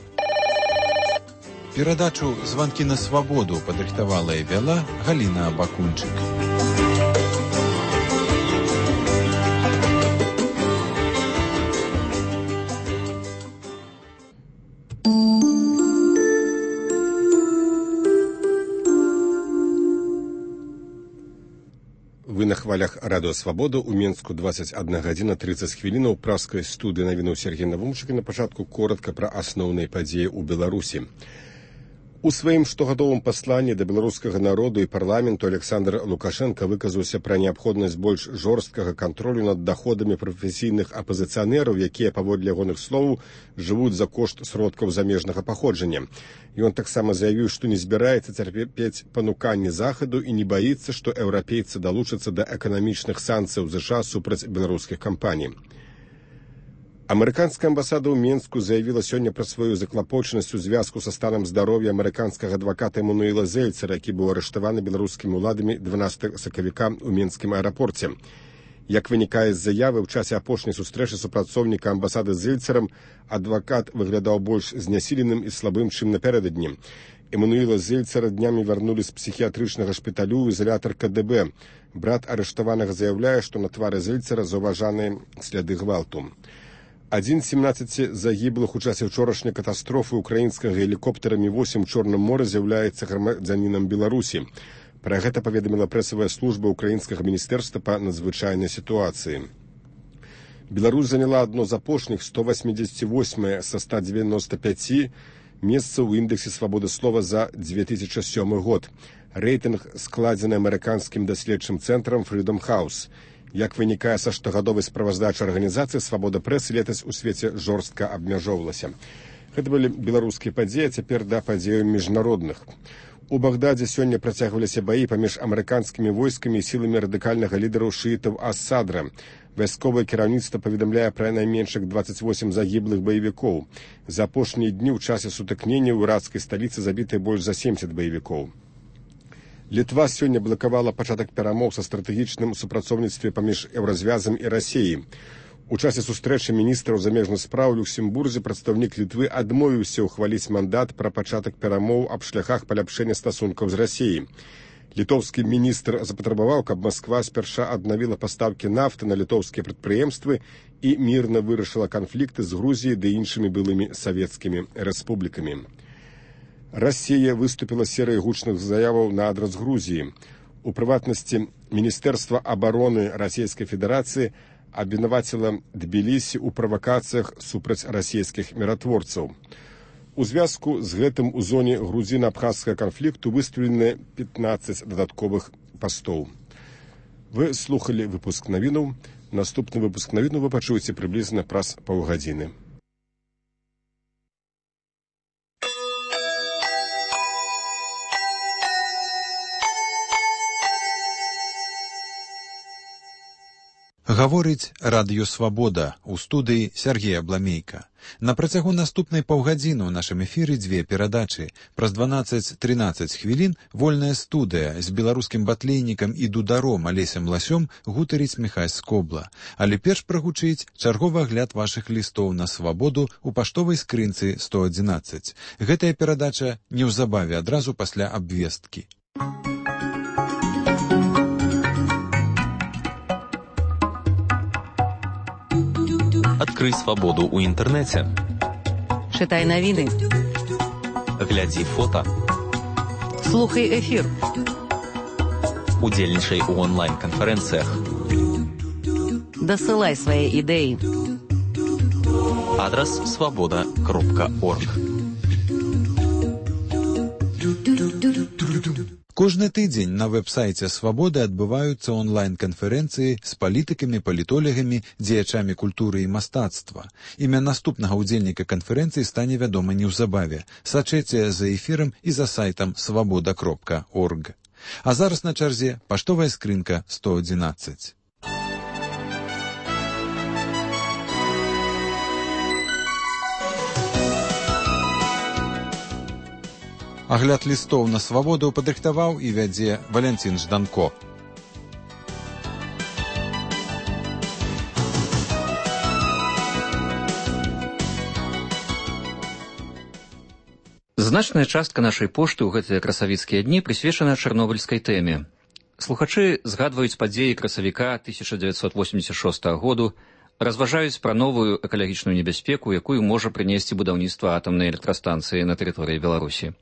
Перадачу «Званкі на свабоду» падрыхтавала і вяла Галіна Бакунчык. Вы на хвалях радыё «Свабода» у Менску 21 гадзіна 30 хвілінаў праскай студыі навінуў Сергей Навумчык. На пачатку коротка пра асноўныя падзеі ў Беларусі. У сваім штогадовым пасланні да беларускага народу і парламенту Александр Лукашенко выказаўся пра неабходнасць больш жорсткага кантролю над даходамі прафесійных апазіцыянераў, якія, паводле ягоных словаў, жывуць за кошт сродкаў замежнага паходжання. Ён таксама заявіў, што не збіраецца цярпець пануканні захаду і не баіцца, што еўрапейцы далучацца да эканамічных санкцыяў ЗША супраць беларускіх кампаній. Амерыканская амбасада ў Менску заявіла сёння пра сваю заклапочанасць у звязку са станам здароўя амерыканскага адваката Эмануэла Зельцера, які быў арыштаваны беларускімі ўладамі 12 сакавіка ў Менскім аэрапорце. Як вынікае з заявы, ў часе апошняй сустрэчы супрацоўніка амбасады з Зельцерам адвакат выглядаў больш знясіленым і слабым, чым напярэдадні. Эмануэла Зельцера днямі вярнулі з псіхіятрычнага шпіталю ў ізалятар КДБ. Брат арыштаванага заяўляе, што на твары Зельцера заўважаныя сляды гвалту. 1 з 17 загіблых у часе ўчорашняй катастрофы украінскага гелікоптера Мі-8 у Чорным моры з'яўляецца грамадзянінам Беларусі. Пра гэта паведаміла прэсавая служба украінскага міністэрства па надзвычайнай сітуацыі. Беларусь заняла адно з апошніх 188 са 195 месцаў у індэксе свабоды слова за 2007 год. Рэйтынг складзены амерыканскім даследчым цэнтрам Freedom House. Як вынікае са штогадовай справаздачы арганізацыі, свабода прэсы летась у свеце жорстка абмяжоўвалася. Гэта былі беларускія падзеі, а цяпер да падзеяў міжнародных. У Багдадзе сёння працягваліся баі паміж амерыканскімі войскамі і сіламі радыкальнага лідараў шыітаў Асадра. Вайсковае кіраўніцтва паведамляе пра найменшых 28 загіблых баевікоў. За апошнія дні ў часе сутыкнення ў іракскай сталіцы забітыя больш за 70 баевікоў. Літва сёння блакавала пачатак перамоў са стратэгічным супрацоўніцтве паміж Еўразвязам і Расіяй. У часе сустрэчы міністраў замежных спраў у Люксембурзе прадстаўнік Літвы адмовіўся ўхваліць мандат пра пачатак перамоў аб шляхах паляпшэння стасункаў з Расіяй. Літоўскі міністр запатрабаваў, каб Масква спярша аднавіла пастаўкі нафты на літоўскія прадпрыемствы і мірна вырашыла канфлікты з Грузіяй ды іншымі былымі савецкімі рэспублікамі. Расія выступіла серыяй гучных заяваў на адрас Грузіі. У прыватнасці, Міністэрства абароны Расійскай Федэрацыі абвінаваціла Тбілісі ў правакацыях супраць расійскіх міратворцаў. У звязку з гэтым у зоне грузіна-абхазскага канфлікту выстаўлены 15 дадатковых пастоў. Вы слухалі выпуск навінаў. Наступны выпуск навінаў вы пачуеце прыблізна праз паўгадзіны. Гаворыць радыё «Свабода», у студыі Сергей Абламейка. На працягу наступнай паўгадзіны ў нашым эфіры дзве перадачы. Праз 12-13 хвілін вольная студыя з беларускім батлейнікам і дударом Алесем Ласём гутарыць Міхась Скобла. Але перш прагучыць чарговы агляд вашых лістоў на свабоду ў паштовай скрынцы 111. Гэтая перадача неўзабаве адразу пасля абвесткі. Адкрый свабоду ў інтэрнэце. Чытай навіны. Глядзі фота. Слухай эфір. Удзельнічай у онлайн-канферэнцыях. Дасылай свае ідэі. Адрас свабода.орг. Кожны тыдзень на вэб-сайце «Свабоды» адбываюцца онлайн-канферэнцыі з палітыкамі, палітолегамі, дзеячамі культуры і мастацтва. Імя наступнага ўдзельніка канферэнцыі стане вядома неўзабаве. Сачэце за эфірам і за сайтам свабода.орг. А зараз на чарзе паштовая скрынка 111. Агляд лістоў на свабоду падрыхтаваў і вядзе Валянцін Жданко. Значная частка нашай пошты ў гэтыя красавіцкія дні прысвечана чарнобыльскай тэме. Слухачы згадваюць падзеі красавіка 1986 году, разважаюць пра новую экалагічную небяспеку, якую можа прынесці будаўніцтва атамнай электрастанцыі на тэрыторыі Беларусі.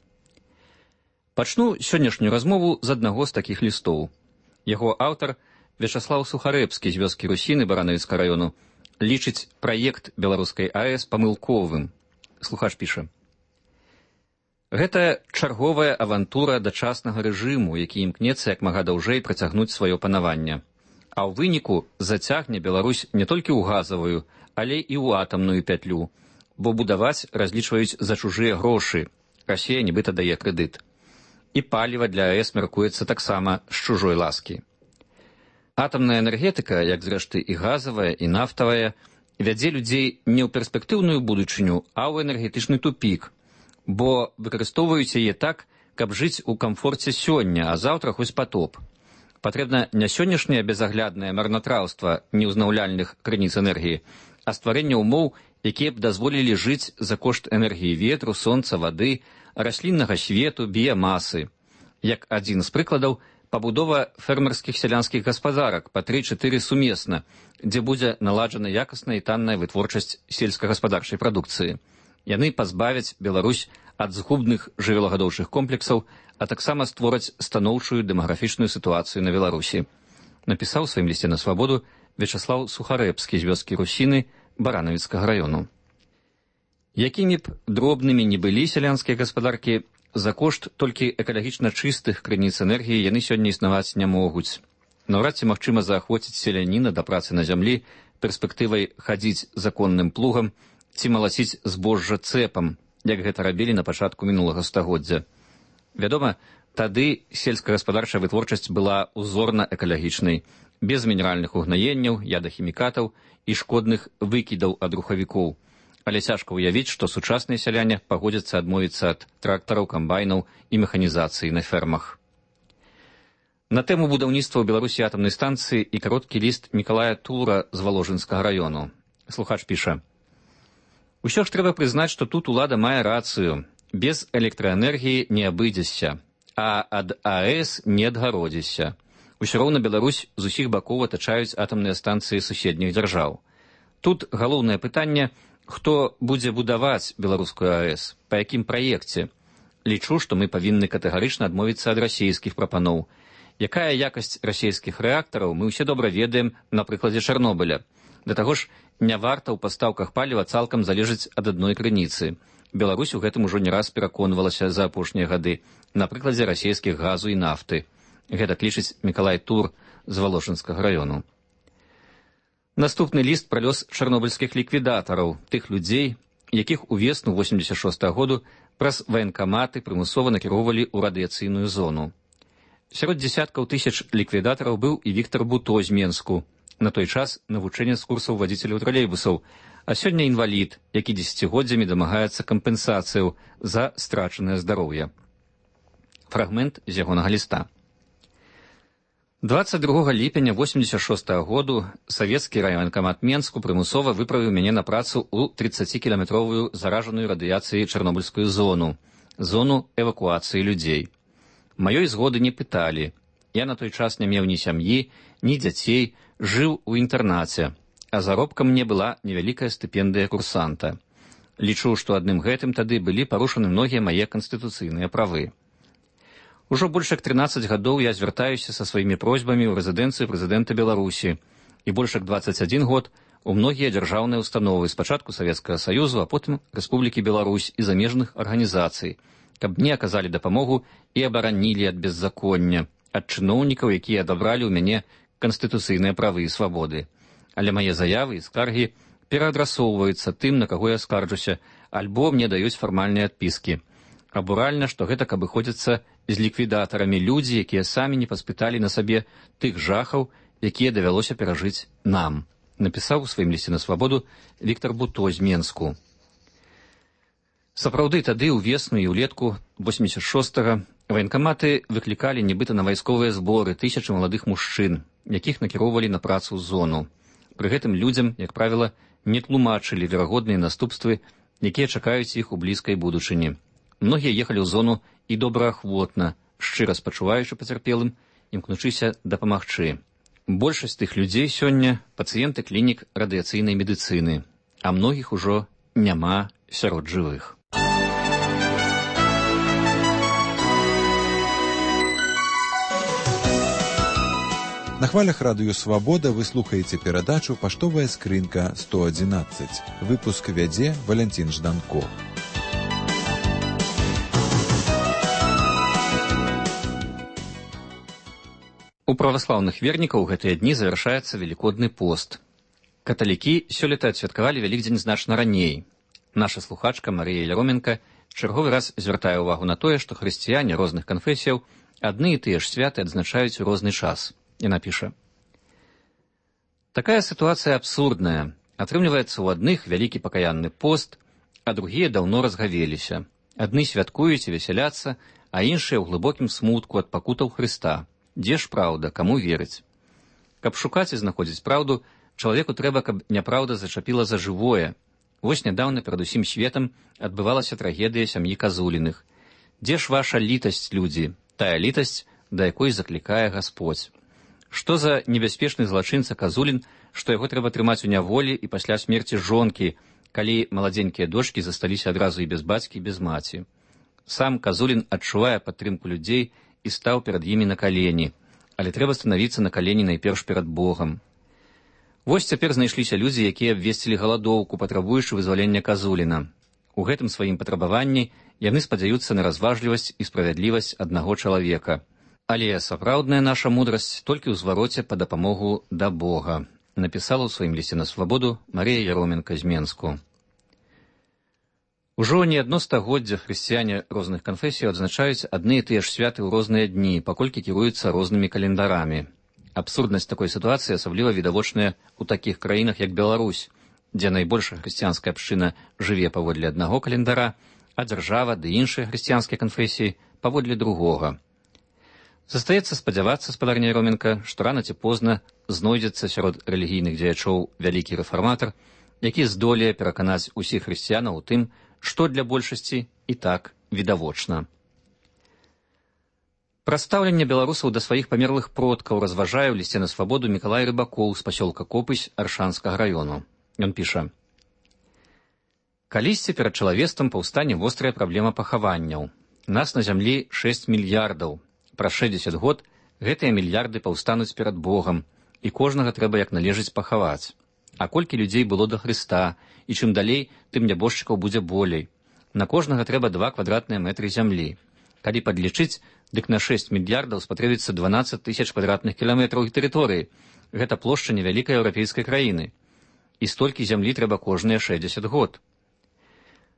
Пачну сённяшнюю размову з аднаго з такіх лістоў. Яго аўтар, Вячаслаў Сухарэбскі з вёскі Русіны Баранавіцкага раёну, лічыць праект беларускай АЭС памылковым. Слухач піша: гэта чарговая авантура дачаснага рэжыму, які імкнецца як мага даўжэй працягнуць сваё панаванне. А ў выніку зацягне Беларусь не толькі ў газавую, але і ў атамную пятлю, бо будаваць разлічваюць за чужыя грошы. Расія нібыта дае крэдыт. І паліва для АЭС мяркуецца таксама з чужой ласкі. Атамная энергетыка, як зрэшты і газавая, і нафтавая, вядзе людзей не ў перспектыўную будучыню, а ў энергетычны тупік, бо выкарыстоўваюць яе так, каб жыць у камфорце сёння, а заўтра хоць патоп. Патрэбна не сённяшняе безагляднае марнатраўства неўзнаўляльных крыніц энергіі, а стварэнне ўмоў, якія б дазволілі жыць за кошт энергіі ветру, сонца, вады, расліннага свету, біямасы. Як адзін з прыкладаў, пабудова фермерскіх сялянскіх гаспадарак па 3-4 сумесна, дзе будзе наладжана якасная і танная вытворчасць сельскагаспадарчай прадукцыі. Яны пазбавяць Беларусь ад згубных жывёлагадоўчых комплексаў, а таксама створаць станоўчую дэмаграфічную сітуацыю на Беларусі. Напісаў у сваім лісце на свабоду Вячаслаў Сухарэбскі з вёскі Русіны Баранавіцкага раёну. Якімі б дробнымі не былі сялянскія гаспадаркі, за кошт толькі экалагічна чыстых крыніц энергіі яны сёння існаваць не могуць. Наўрад ці магчыма заахвоціць селяніна да працы на зямлі перспектывай хадзіць законным плугам ці малаціць збожжа цэпам, як гэта рабілі на пачатку мінулага стагоддзя. Вядома, тады сельскагаспадарчая вытворчасць была узорна-экалагічнай, без мінеральных угнаенняў, ядахімікатаў і шкодных выкідаў ад рухавікоў. Але цяжка ўявіць, што сучасныя сяляне пагодзяцца адмовіцца ад трактараў, камбайнаў і механізацыі на фермах. На тэму будаўніцтва ў Беларусі атамнай станцыі і кароткі ліст Мікалая Тура з Валожынскага раёну. Слухач піша: усё ж трэба прызнаць, што тут улада мае рацыю. Без электраэнергіі не абыдзешся, а ад АЭС не адгародзішся. Усё роўна Беларусь з усіх бакоў атачаюць атамныя станцыі суседніх дзяржаў. Тут галоўнае пытанне, хто будзе будаваць беларускую АЭС, па якім праекце. Лічу, што мы павінны катэгарычна адмовіцца ад расійскіх прапаноў. Якая якасць расійскіх рэактараў, мы ўсе добра ведаем на прыкладзе Чарнобыля. Да таго ж, не варта ў пастаўках паліва цалкам залежыць ад адной крыніцы. Беларусь у гэтым ужо не раз пераконвалася за апошнія гады на прыкладзе расійскіх газу і нафты. Гэта лічыць Мікалай Тур з Валожынскага раёну. Наступны ліст пра лёс чарнобыльскіх ліквідатараў, тых людзей, якіх увесну 86 году праз ваенкаматы прымусова накіроўвалі ў радыяцыйную зону. Сярод дзесяткаў тысяч ліквідатараў быў і Віктар Буто з Менску, на той час навучэнец курсаў вадзіцеляў тралейбусаў, а сёння інвалід, які дзесяцігоддзямі дамагаецца кампенсацыяў за страчанае здароўе. Фрагмент з ягонага ліста. 22 ліпеня 86 году савецкі райваенкамат Менску прымусова выправіў мяне на працу ў 30-кіламетровую заражаную радыяцыяй чарнобыльскую зону эвакуацыі людзей. Маёй згоды не пыталі. Я на той час не меў ні сям'і, ні дзяцей, жыў у інтэрнаце, а заробкам мне была невялікая стыпендыя курсанта. Лічу, што адным гэтым тады былі парушаны многія мае канстытуцыйныя правы. Ужо больш як 13 гадоў я звяртаюся са сваімі просьбамі ў рэзідэнцыю прэзідэнта Беларусі і больш як 21 год у многія дзяржаўныя установы, спачатку Савецкага Саюзу, а потым Рэспублікі Беларусь і замежных арганізацый, каб мне аказалі дапамогу і абаранілі ад беззаконня, ад чыноўнікаў, якія адабралі ў мяне канстытуцыйныя правы і свабоды. Але мае заявы і скаргі пераадрасоўваюцца тым, на каго я скарджуся, альбо мне даюць фармальныя адпіскі. Абуральна, што гэта каб выходзіцца з ліквідатарамі людзі, якія самі не паспыталі на сабе тых жахаў, якія давялося перажыць нам, напісаў у сваім лісце на свабоду Віктор Буто з Менску. Сапраўды, тады ўвесну і ўлетку 86-го ваенкаматы выклікалі нібыта на вайсковыя зборы тысячы маладых мужчын, якіх накіроўвалі на працу ў зону. Пры гэтым людзям, як правіла, не тлумачылі верагодныя наступствы, якія чакаюць іх у блізкай будучыні. Многія ехалі ў зону і добраахвотна, шчыра спачуваючы пацярпелым, імкнучыся дапамагчы. Большасць тых людзей сёння пацыенты клінік радыяцыйнай медыцыны, а многіх ужо няма сярод жывых. На хвалях радыё «Свабода» вы слухаеце перадачу «Паштовая скрынка 111». Выпуск вядзе Валянцін Жданко. У праваслаўных вернікаў гэтыя дні завяршаецца велікодны пост. Каталікі сёлета адсвяткавалі Вялікдзень значна раней. Наша слухачка Марія Яроменка чарговы раз звяртае ўвагу на тое, што хрысціяне розных канфесіяў адны і тыя ж святы адзначаюць у розны час. Яна піша: «Такая сітуацыя абсурдная. Атрымліваецца, у адных вялікі пакаянны пост, а другія даўно разгавеліся. Адны святкуюць і весяляцца, а іншыя ў глыбокім смутку ад пакутаў Хрыста. Дзе ж праўда, каму верыць? Каб шукаць і знаходзіць праўду, чалавеку трэба, каб няпраўда зачапіла за жывое. Вось нядаўна перад усім светам адбывалася трагедыя сям'і Казуліных. Дзе ж ваша літасць, людзі, тая літасць, да якой заклікае Гасподзь? Што за небяспечны злачынца Казулін, што яго трэба трымаць у няволі і пасля смерці жонкі, калі маладзенькія дочкі засталіся адразу і без бацькі, і без маці? Сам Казулін адчувае падтрымку людзей і стаў перад імі на калені, але трэба станавіцца на калені найперш перад Богам. Вось цяпер знайшліся людзі, якія абвесцілі галадоўку, патрабуючы вызвалення Казуліна. У гэтым сваім патрабаванні яны спадзяюцца на разважлівасць і справядлівасць аднаго чалавека. Але сапраўдная наша мудрасць толькі ў звароце па дапамогу да Бога, напісала ў сваім лісце на свабоду Марія Яроменка з Менску. Ужо не адно стагоддзя хрысціяне розных канфесіяў адзначаюць адны і тыя ж святы ў розныя дні, паколькі кіруюцца рознымі календарамі. Абсурднасць такой сітуацыі асабліва відавочная ў такіх краінах, як Беларусь, дзе найбольшая хрысціянская абшчына жыве паводле аднаго календара, а дзяржава ды іншыя хрысціянскія канфесіі паводле другога. Застаецца спадзявацца, спадарня Яроменка, што рана ці позна знойдзецца сярод рэлігійных дзеячоў вялікі рэфарматар, які здолее пераканаць усіх хрысціянаў у тым, што для большасці і так відавочна. Пра стаўленне беларусаў да сваіх памерлых продкаў разважае ў лісце на свабоду Мікалай Рыбакоў з пасёлка Копысь Аршанскага раёну. Ён піша: «Калісьці перад чалавецтвам паўстане вострая праблема пахаванняў. Нас на зямлі 6 мільярдаў. Праз 60 год гэтыя мільярды паўстануць перад Богам, і кожнага трэба як належыць пахаваць. А колькі людзей было да Хрыста, і чым далей, тым нябожчыкаў будзе болей. На кожнага трэба 2 квадратныя метры зямлі. Калі падлічыць, дык на 6 мільярдаў спатрэбіцца 12 тысяч квадратных кіламетраў тэрыторыі. Гэта плошча невялікай еўрапейскай краіны. І столькі зямлі трэба кожныя 60 год.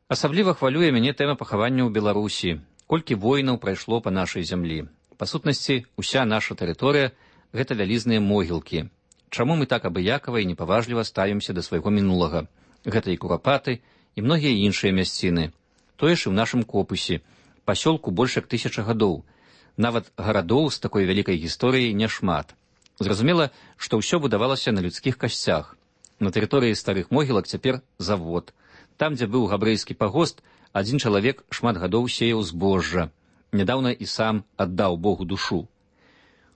Асабліва хвалюе мяне тэма пахавання ў Беларусі. Колькі войнаў прайшло па нашай зямлі. Па сутнасці, уся наша тэрыторыя – гэта вялізныя могілкі. Чаму мы так абыякава і непаважліва ставімся да свайго мінулага? Гэта і Курапаты, і многія іншыя мясціны. Тое ж і ў нашым Копысе. Пасёлку больш як 1000 гадоў. Нават гарадоў з такой вялікай гісторыяй няшмат. Зразумела, што ўсё будавалася на людскіх касцях. На тэрыторыі старых могілак цяпер завод. Там, дзе быў габрэйскі пагост, адзін чалавек шмат гадоў сеяў збожжа. Нядаўна і сам аддаў Богу душу.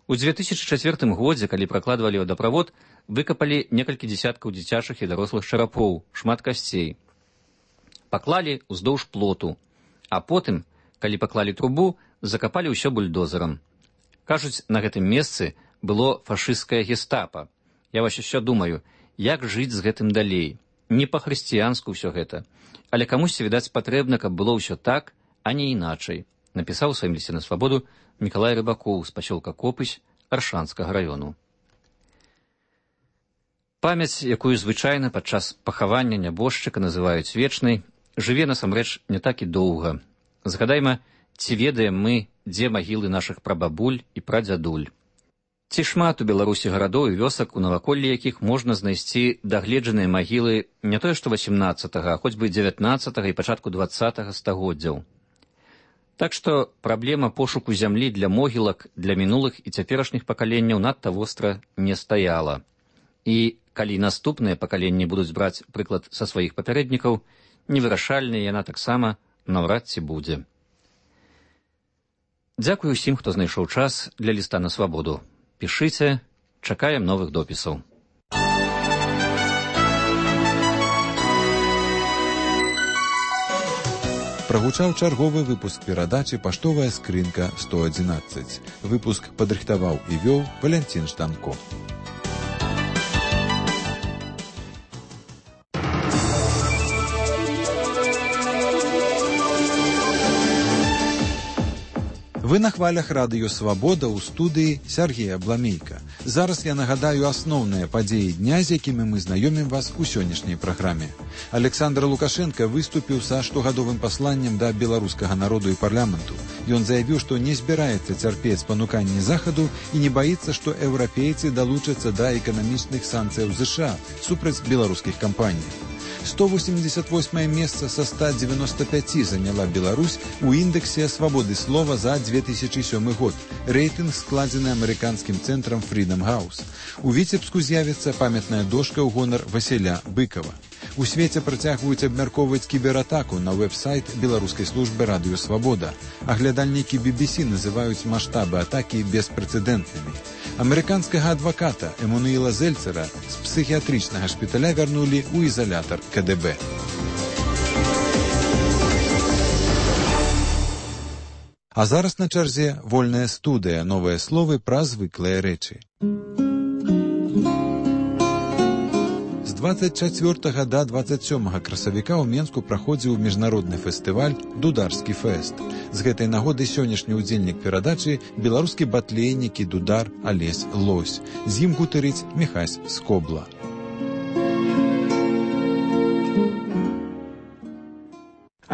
У 2004 годзе, калі пракладвалі вадаправод, выкапалі некалькі дзесяткаў дзіцячых і дарослых чарапоў, шмат касцей. Паклалі ўздоўж плоту, а потым, калі паклалі трубу, закапалі ўсё бульдозерам. Кажуць, на гэтым месцы было фашысцкае гестапа. Я вось яшчэ думаю, як жыць з гэтым далей. Не па-хрысціянску ўсё гэта. Але камусьці, відаць, патрэбна, каб было ўсё так, а не іначай, напісаў у сваім лісце на свабоду Мікалай Рыбакоў з пасёлка Копысь Аршанскага раёну. Памяць, якую звычайна падчас пахавання нябожчыка называюць вечнай, жыве насамрэч не так і доўга. Згадайма, ці ведаем мы, дзе магілы нашых прабабуль і прадзядуль. Ці шмат у Беларусі гарадоў і вёсак, у наваколлі якіх можна знайсці дагледжаныя магілы не тое што 18-га, а хоць бы 19-га і пачатку 20-га стагоддзяў. Так што праблема пошуку зямлі для могілак для мінулых і цяперашніх пакаленняў надта востра не стаяла. І калі наступныя пакаленні будуць браць прыклад са сваіх папярэднікаў, невырашальная яна таксама наўрад ці будзе. Дзякую ўсім, хто знайшоў час для ліста на свабоду. Пішыце, чакаем новых допісаў. Прагучаў чарговы выпуск перадачы «Паштовая скрынка 111». Выпуск падрыхтаваў і вёў Валянцін Штанко. Вы на хвалях радыё «Свабода» ў студыі Сергея Бламейка. Зараз я нагадаю асноўныя падзеі дня, з якімі мы знаёмім вас у сённяшняй праграме. Александр Лукашенко выступіў са штогадовым пасланнем да беларускага народу і парламенту. Ён заявіў, што не збіраецца цярпець пануканні Захаду і не баіцца, што еўрапейцы далучацца да эканамічных санкцыяў ЗША супраць беларускіх кампаній. 188 месца са 195 заняла Беларусь у індексе свабоды слова за 2007 год. Рэйтынг складзены амерыканскім цэнтрам Freedom House. У Віцебску з'явіцца памятная дошка ў гонар Васіля Быкова. У свеце працягваюць абмяркоўваць кібератаку на вэб-сайт беларускай службы радыё «Свабода». Аглядальнікі BBC называюць маштабы атакі беспрэцэдэнтнымі. Амерыканскага адваката Эммануіла Зельцера з псіхіятрычнага шпіталя вярнулі ў ізалятар КДБ. А зараз на чарзе вольная студыя, новыя словы пра звыклыя рэчы. З 24 да 27 красавіка ў Менску праходзіў міжнародны фестываль «Дударскі фэст». З гэтай нагоды сённяшні ўдзельнік перадачы беларускі батлейнік і дудар Алесь Лось. З ім гутарыць Міхась Скобла.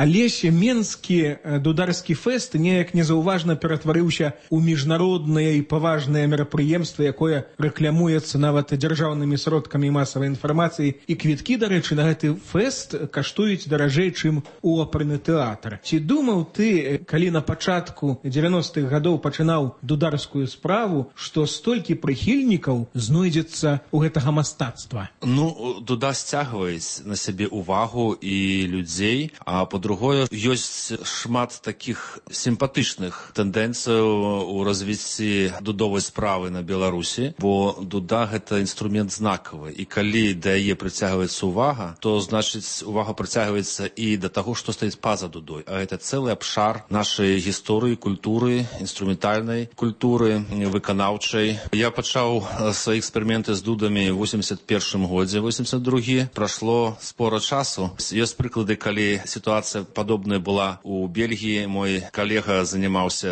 Алесь менскі дударскі фэст неяк незаўважна ператварыўся ў міжнароднае і паважнае мерапрыемства, якое рэклямуецца нават дзяржаўнымі сродкамі масавай інфармацыі. І квіткі, дарэчы, на гэты фэст каштуюць даражэй, чым у оперны тэатр. Ці думаў ты, калі на пачатку 90-х гадоў пачынаў дударскую справу, што столькі прыхільнікаў знойдзецца ў гэтага мастацтва? Дуда сцягваюць на сябе увагу і людзей, а по-другое, ёсць шмат такіх сімпатычных тэндэнцыяў у развіцці дудовай справы на Беларусі, бо дуда — гэта інструмент знакавы. І калі да яе прыцягваецца увага, то, значыць, увага прыцягваецца і да таго, што стаіць па-за дудой. А гэта цэлы абшар нашай гісторыі, культуры, інструментальнай культуры, выканаўчай. Я пачаў свае эксперыменты з дудамі ў 81 годзе, 82 прашло спора часу. Ёсць прыклады, калі сітуацыя падобная была у Бельгіі. Мой калега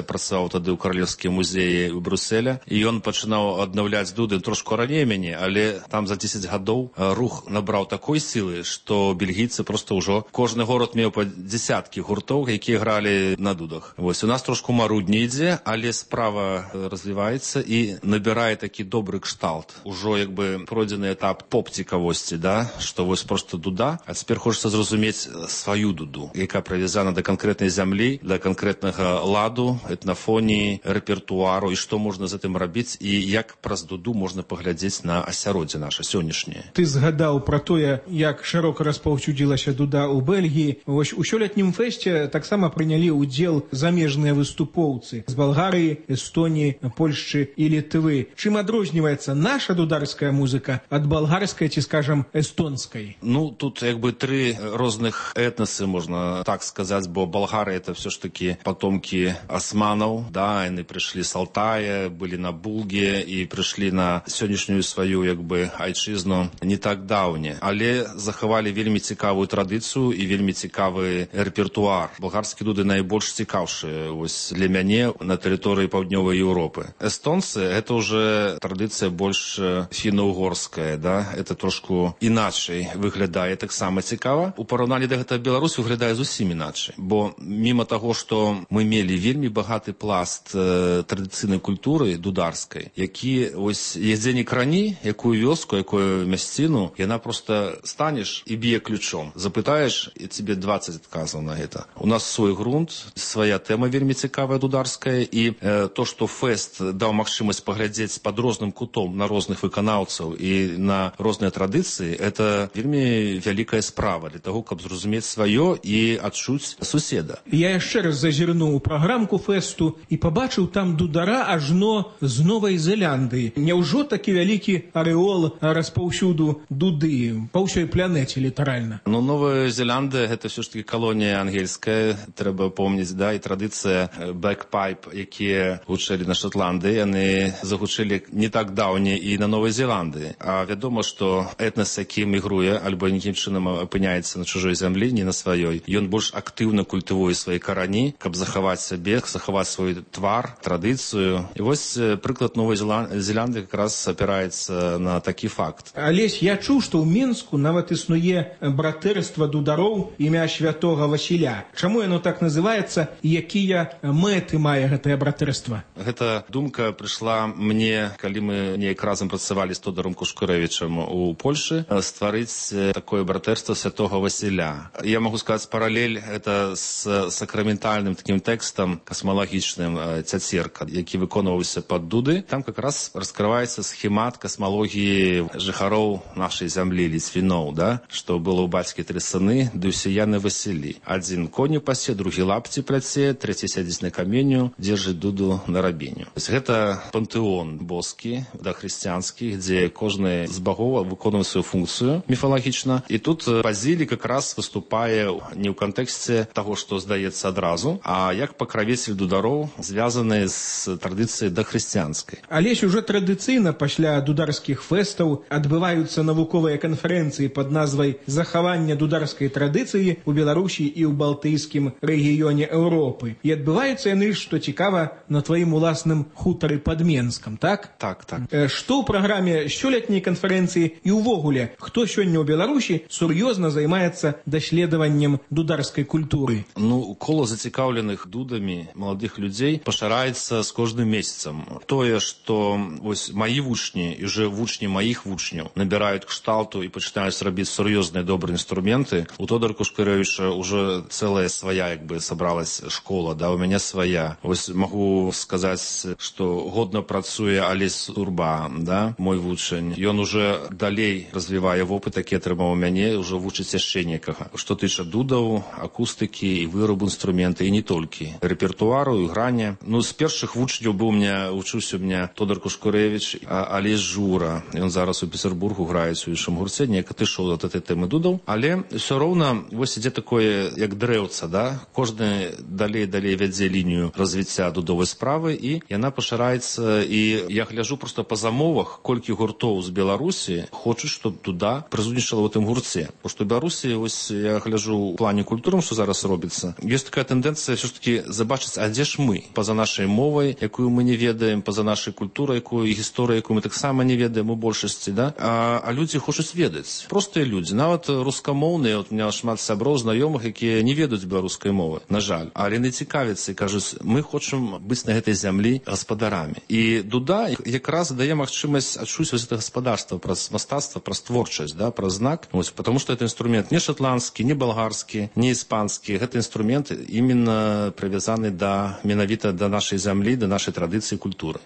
працаваў тады ў каралеўскім музеі ў Брюсселя, і ён пачынаў аднаўляць дуды трошку раней мяне, але там за 10 гадоў рух набраў такой сілы, што бельгійцы проста ўжо кожны горад меў па дзесяткі гуртоў, якія гралі на дудах. Вось у нас трошку марудней ідзе, але справа развіваецца і набірае такі добры кшталт. Ужо як бы пройдзены этап поп-цікавосці, што вось проста дуда, а цяпер хочацца зразумець сваю дуду, яка прывязана да канкрэтнай зямлі, да канкрэтнага ладу, этнафоніі, рэпертуару, і што можна з гэтым рабіць, і як праз дуду можна паглядзець на асяроддзе наша сённяшняе. Ты згадаў пра тое, як шырока распаўсюдзілася дуда ў Бельгіі. Вось у сёлетнім фэсце таксама прынялі ўдзел замежныя выступоўцы з Балгарыі, Эстоніі, Польшчы і Літвы. Чым адрозніваецца наша дударская музыка ад балгарскай ці, скажам, эстонскай? Тут як бы тры розных этнасы, можна так сказать, бо болгары это все ж таки потомки османов, да, они пришли с Алтая, были на Булге и пришли на сённяшнюю свою, як бы, айчызну не так даўне, але захавалі вельмі цікавую традыцыю і вельмі цікавы рэпертуар. Балгарскія дуды найбольш цікаўшыя вось для мяне на тэрыторыі паўднёвай Еўропы. Эстонцы это уже традыцыя больш фіно-угорская, да, это трошку іначай выглядае, таксама цікава. У параўнанні да гэтага Беларусь выглядае зусім іначай, бо міма таго, што мы мелі вельмі багаты пласт традыцыйнай культуры дударскай, які ось ездзенік рані, якую вёску, якую мясціну, яна просто станеш і б'е ключом. Запытаеш, і тебе 20 адказаў на гэта. У нас свой грунт, свая тэма вельмі цікавая дударская, і то, што фэст даў магчымасць паглядзець пад розным кутом на розных выканаўцаў і на розныя традыцыі, это вельмі вялікая справа для того, каб зразумець сваё і адчуць суседа. Я яшчэ раз зазірнуў у праграмку фэсту і пабачыў там дудара ажно з Новай Зеландыі. Няўжо такі вялікі арэол распаўсюду дуды па ўсёй планеце літаральна? Ну, Новая Зеландыя гэта все ж таки калонія ангельская, трэба помніць, да, і традыцыя бэкпайп, якія гучэлі на Шотландыі, яны загучэлі не так даўне і на Новай Зеландыі. А вядома, што этнас, які мігруе альбо нейкім чынам апыняецца на чужой зямлі, не на сваёй, ён больш актыўна культывуе свае карані, каб захаваць сябе, захаваць свой твар, традыцыю. І вось прыклад Новай Зеландыі как раз апіраецца на такі факт. Алесь, я чуў, што ў Мінску нават існуе братэрства дудароў імя святога Васіля. Чаму яно так называецца і якія мэты мае гэтае братэрства? Гэта думка прыйшла мне, калі мы неяк разам працавалі з Тодором Кушкурэвічам у Польшы, стварыць такое братэрства святога Васіля. Я могу сказаць паралель это з сакраментальным таким тэкстам касмалагічным «Цяцерка», які выконваўся пад дуды. Там как раз раскрываецца схемат касмалогіі жыхароў нашай зямлі, ліцвіноў, да? Што было ў бацькі 3 сыны, ды ўсе яны Васілі. Адзін коню пасе, другі лапці пляце, трэці сядзіць на каменю, дзержыць дуду на рабеню. Гэта пантэон боскі, да, хрысціянскі, дзе кожны з багоў выконвае сваю функцыю міфалагічна. І тут Базілій как раз выступае не ў кантэксце таго, што здаецца адразу, а як пакравецель дудароў, звязаны з традыцыяй дахрысціянскай. Алесь, уже традыцыйна пасля дударскіх фэстаў адбываюцца навуковыя канферэнцыі пад назвай «Захаванне дударскай традыцыі ў Беларусі і ў балтыйскім рэгіёне Еўропы». І адбываюцца яны, што цікава, на тваім уласным хутары пад Менскам, так? Так, так. Што ў праграме сёлетняй канферэнцыі і ўвогуле, хто сёння ў Беларусі сур'ёзна займаецца даследаваннем дударскай культуры? Ну, кола зацікаўленых дудамі маладых людзей пашыраецца з кожным месяцам. Тое, што вось маі вучні і уже вучні маіх вучняў набіраюць кшталту і пачынаюць рабіць сур'ёзныя добрыя інструменты, у Тодора Кушкурэвіча уже цэлая свая, як бы, сабралась школа, да, у мяне свая. Вось магу сказаць, што годна працуе Алесь Турба, да, мой вучань. Ён уже далей развівае вопыт, які атрымаў у мяне, уже вучыць яшчэ некага. Што тыча дудаў, акустыкі і вырабу інструменты, і не толькі. Рэпертуару, іграння. Ну, з першых вучняў быў вучыўся у меня Тодор Кушкурэвіч, Алесь Жура. Ён зараз у Петербургу граецца у іншым гурце, неяк адышоў ад гэтай тэмы дудаў. Але ўсё роўна вось ідзе такое, як дрэўца, да? Кожны далей вядзе лінію развіцця дудовай справы, і яна пашыраецца, і я гляджу просто па замовах, колькі гуртоў з Беларусі хочуць, щоб дуда прысутнічала ў тым гурце. Бо што ў Беларусі, ось я гляджу ў плане культуры, што зараз робіцца, ёсць такая тэндэнцыя ўсё ж таки забачыць, а дзе ж мы? Па-за нашай мовай, якую мы не ведаем, па-за нашай культурай, якую і гісторыю, якую мы таксама не ведаем у большасці, да? А людзі хочуць ведаць. Простыя людзі, нават рускамоўныя, от у меня шмат сяброў, знаёмых, якія не ведаюць беларускай мовы, на жаль. Але не цікавяцца і кажуць, мы хочам быць на гэтай зямлі гаспадарамі. І дуда якраз дае магчымасць адчуць вось гэта гаспадарства праз мастацтва, праз творчасць, да, праз знак. Вось, потому што гэта інструмент не шотландскі, не балгарскі, не іспанскі. Гэта інструмент іменно прывязаны да менавіта да нашай зямлі, да нашай традыцыі і культуры.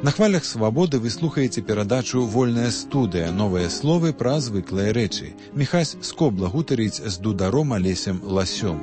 На хвалях свабоды вы слухаеце перадачу «Вольная студыя. Новыя словы пра звыклыя рэчы». Міхась Скобла гутарыць з дударом Алесем Ласём.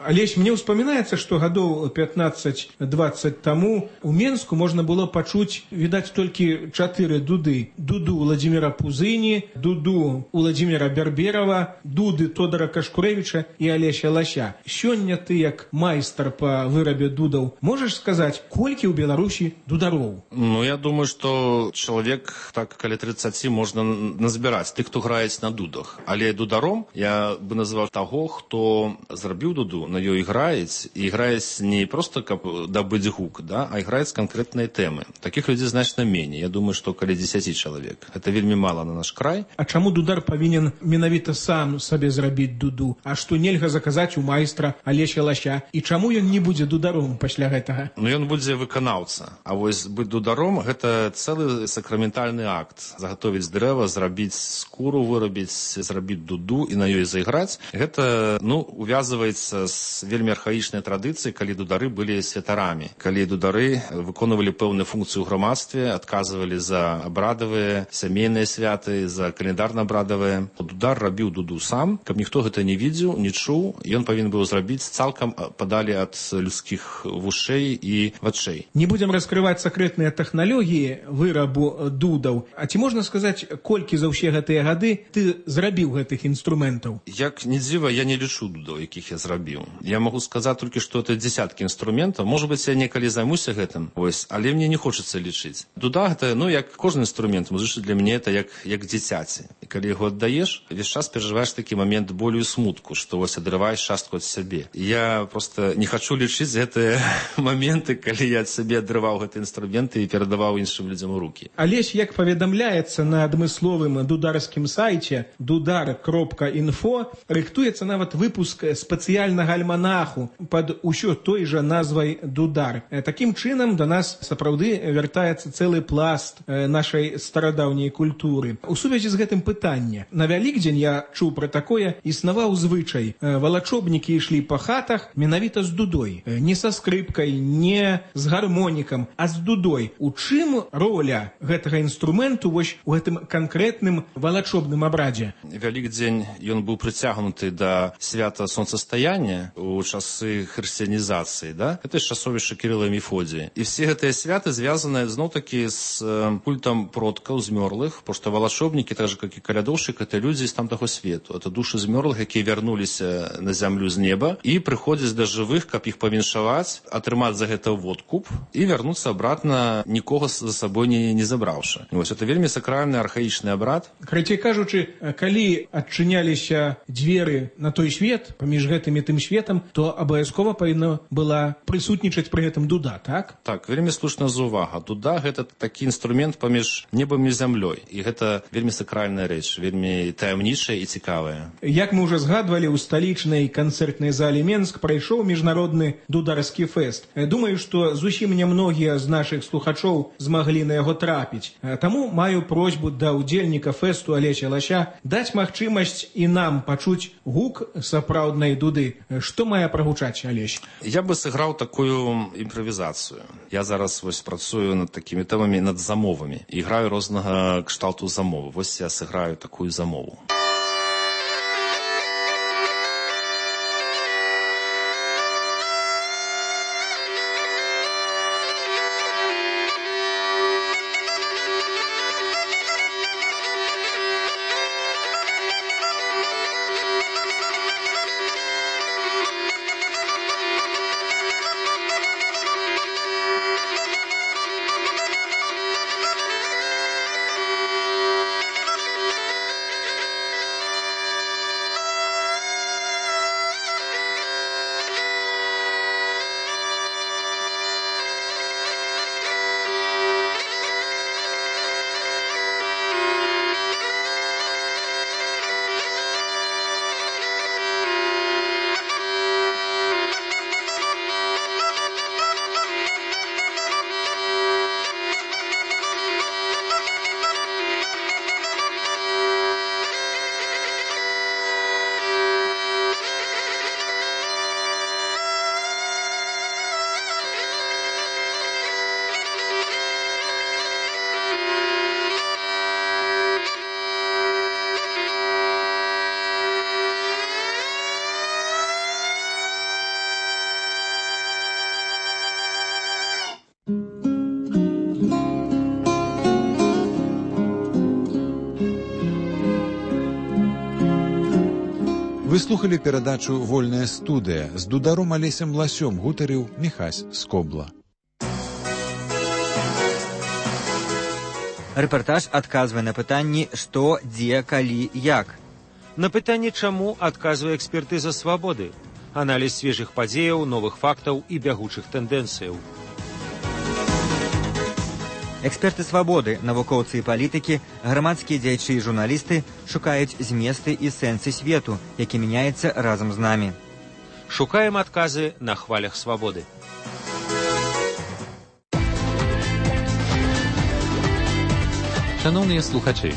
Олесь, мне успоминается, что годов 15-20 тому у Менску можно было почуть, видать, только 4 дуды. Дуду Владимира Пузыни, дуду Владимира Берберова, дуды Тодора Кашкуревича и Олеся Лаща. Сёння ты, як майстар по вырабе дудов, можешь сказать, кольки у Беларуси дударов? Ну, я думаю, что человек, так каля 30 можно назбирать, тых, кто играет на дудах. Але дударом я бы назвал того, кто зрабіў дуду, на ёй играет, и играет не просто как добыть гук, да, а играет с конкретной темы. Таких людей значно менее. Я думаю, что каля 10 человек. Это вельми мало на наш край. А чаму дудар повинен менавіта сам сабе зрабіць дуду, а што нельга заказаць у майстра Алеся Лаща? І чаму ён не будзе дударом пасля гэтага? Ну, ён будзе выканаўца. А вось быць дударом – гэта цэлы сакраментальны акт. Заготовіць дрэва, зрабіць скуру, вырабіць, зрабіць дуду і на ёй зайграць. Гэта, ну, увязываецца з вельмі архаічнай традыцыі, калі дудары былі святарамі. Калі дудары выконвалі пэўную функцыю ў грамадстве, адказвалі за абрадавыя, сямейныя святы, за календарна-абрадавыя. Дудар рабіў дуду сам, каб ніхто гэта не видзеў, не чуў, ён павінен быў зрабіць цалкам падалі ад людскіх вушэй і вачэй. Не будем раскрывать секретные технологии вырабу дудаў. А ці можна сказаць, колькі за ўсе гэтыя гады ты зрабіў гэтых інструментаў? Як не дзіва, я не лічу дудаў, якіх я зрабіў. Я могу сказаць толькі, што это десяткі інструментаў. Может быть, я некалі займуся гэтым, вось, але мне не хочацца лічыць. Дуда гэта, ну, як кожны інструмент, музычны для мяне это як дзіцяці. І калі яго аддаеш, весь час перажываеш такі момент болю і смутку, што вось адрываеш частку ад сябе. Я просто не хочу лічыць гэтыя моменты, калі я ад сябе адрываў гэты інструменты і перадаваў іншым людзям у рукі. Алесь, як паведамляецца на адмысловым дударскім сайце dudar.info, рыхтуецца нават выпуск спецыяльнага альманаху пад усё той жа назвай дудар. Такім чынам да нас сапраўды вяртаецца цэлы пласт нашай старадаўняй культуры. У сувязі з гэтым пытанне. На Вялікдзень я чуў пра такое, існаваў звычай. Валачобнікі ішлі па хатах менавіта з дудой. Не са скрыпкай, не з гармонікам, а з дудой. У чым роля гэтага інструменту вось у гэтым канкрэтным валачобным абрадзе? Вялікдзень ён быў прыцягнуты да свята сонцастаяння у часы хрысціянізацыі, да? Это ж часовішча Кірыла і Мефодія. І все гэтыя святы звязаны зноў-такі з культам продкаў змёрлых, потому што валачобнікі, так же, як і калядоўшчык, это людзі з тамтаго свету. Это души змёрлых, якія вярнуліся на зямлю з неба і прыходзяць да жывых, каб іх павіншаваць, атрымаць за гэта водкуп і вярнуцца абратна, нікога за сабой не забраўшы. Вось это вельмі сакральны архаічны абрад. Карацей кажучы, калі адчыняліся дзверы на той свет, паміж гэтым і тым светам, то абавязкова павінна была прысутнічаць пры гэтым дуда, так? Так, вельмі слушная заўвага. Дуда гэта такі інструмент паміж небам і зямлёй. І гэта вельмі сакральная рэч, вельмі таямнічая і цікавая. Як мы ўжо згадвалі, у сталічнай канцэртнай зале Менск прайшоў міжнародны дударскі фэст. Думаю, што зусім нямногія з нашых слухачоў змаглі на яго трапіць. Таму маю просьбу да ўдзельніка фэсту Алеся Лаща даць магчымасць і нам пачуць гук сапраўднай дуды. Што мае прагучаць, Алесь? Я бы сыграў такую імправізацыю. Я зараз вось працую над такімі тэмамі, над замовамі. І граю рознага кшталту замовы. Вось я сыграю такую замову. Вы слухали перадачу «Вольная студыя». З дударом Алесем Ласём гутарыў Міхась Скобла. Рэпартаж адказвае на пытанні «Што, дзе, калі, як?». На пытанне «Чаму» адказвае экспертыза «Свабоды». Аналіз свежых падзеяў, новых фактаў і бягучых тэндэнцыяў. Эксперты «Свабоды», навукоўцы і палітыкі, грамадскія дзеячы і журналісты шукаюць зместы і сэнсы свету, які мяняецца разам з намі. Шукаем адказы на хвалях «Свабоды». Шановныя слухачы,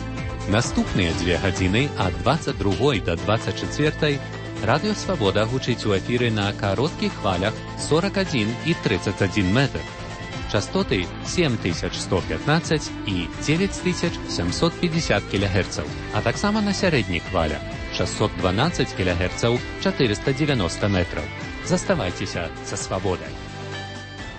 наступныя 2 гадзіны ад 22 до 24 Радыё Свабода гучыць у эфіры на кароткіх хвалях 41 і 31 метр. Частоты 7115 і 9750 кГц, а таксама на сярэдніх хвалях 612 кГц 490 метраў. Заставайцеся са Свабодай.